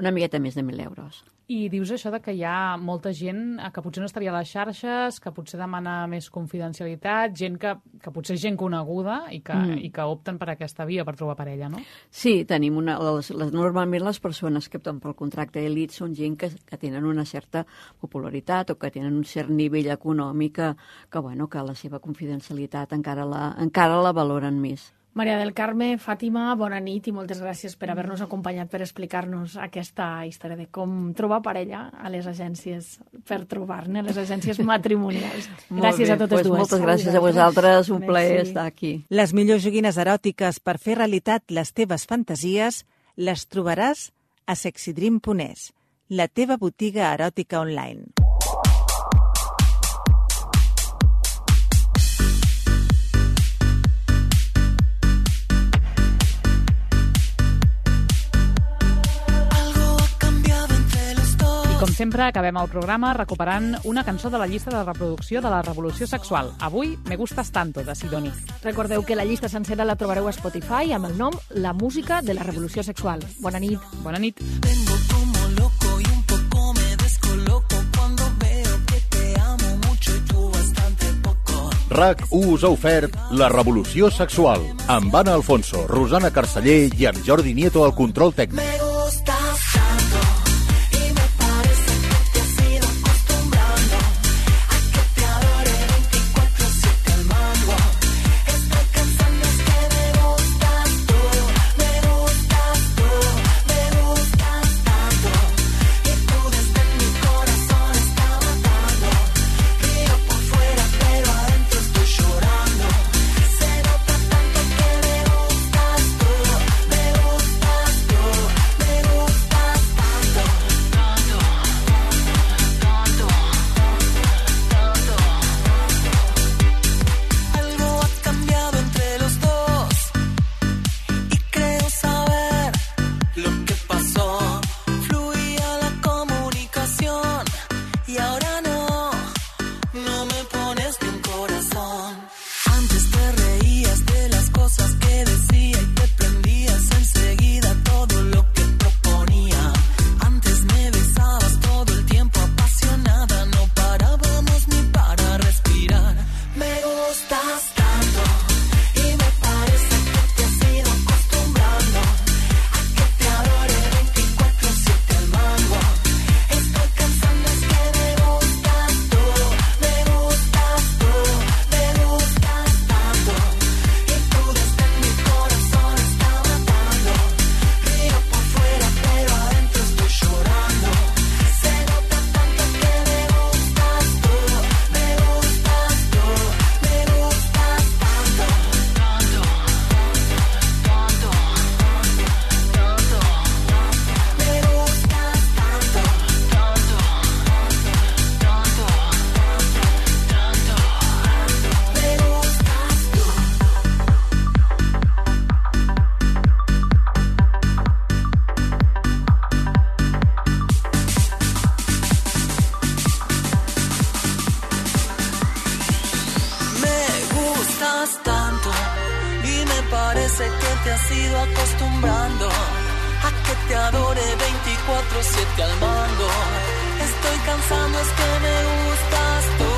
Speaker 17: Una miqueta més de mil euros.
Speaker 2: I dius això de que hi ha molta gent que potser no estaria a les xarxes, que potser demana més confidencialitat, gent que, que potser és gent coneguda i que, mm. i que opten per aquesta via per trobar parella, no?
Speaker 17: Sí, tenim una, les, les, normalment les persones que opten pel contracte d'elit són gent que, que tenen una certa popularitat o que tenen un cert nivell econòmic que, que, bueno, que la seva confidencialitat encara la, encara la valoren més.
Speaker 3: Maria del Carme, Fàtima, bona nit i moltes gràcies per haver-nos acompanyat per explicar-nos aquesta història de com trobar parella a les agències, per trobar-ne a les agències matrimonials. Gràcies a totes
Speaker 17: pues
Speaker 3: dues.
Speaker 17: Moltes gràcies a vosaltres, un plaer estar aquí.
Speaker 10: Les millors joguines eròtiques per fer realitat les teves fantasies les trobaràs a sexy dream punt es, la teva botiga eròtica online.
Speaker 2: Com sempre, acabem el programa recuperant una cançó de la llista de reproducció de la Revolució Sexual. Avui, Me gustas tanto, de Sidoni.
Speaker 3: Recordeu que la llista sencera la trobareu a Spotify amb el nom La música de la Revolució Sexual. Bona nit.
Speaker 2: Bona nit.
Speaker 19: Vengo como loco y un poco me descoloco cuando veo que te amo mucho y tú bastante poco.
Speaker 1: RAC u us ha ofert La Revolució Sexual amb Anna Alfonso, Rosana Carceller i en Jordi Nieto al control tècnic.
Speaker 19: Me gustas tanto y me parece que te has ido acostumbrando a que te adore veinticuatro siete al mango. Estoy cansando, es que me gustas tú, me gustas tú, me gustas tanto y tú desde mi corazón está matando. Río por fuera pero adentro estoy llorando. Se nota tanto que me gustas tú, me gustas tú, gustas tanto y me parece que te has ido acostumbrando a que te adore veinticuatro siete al mando. Estoy cansado, es que me gustas tú.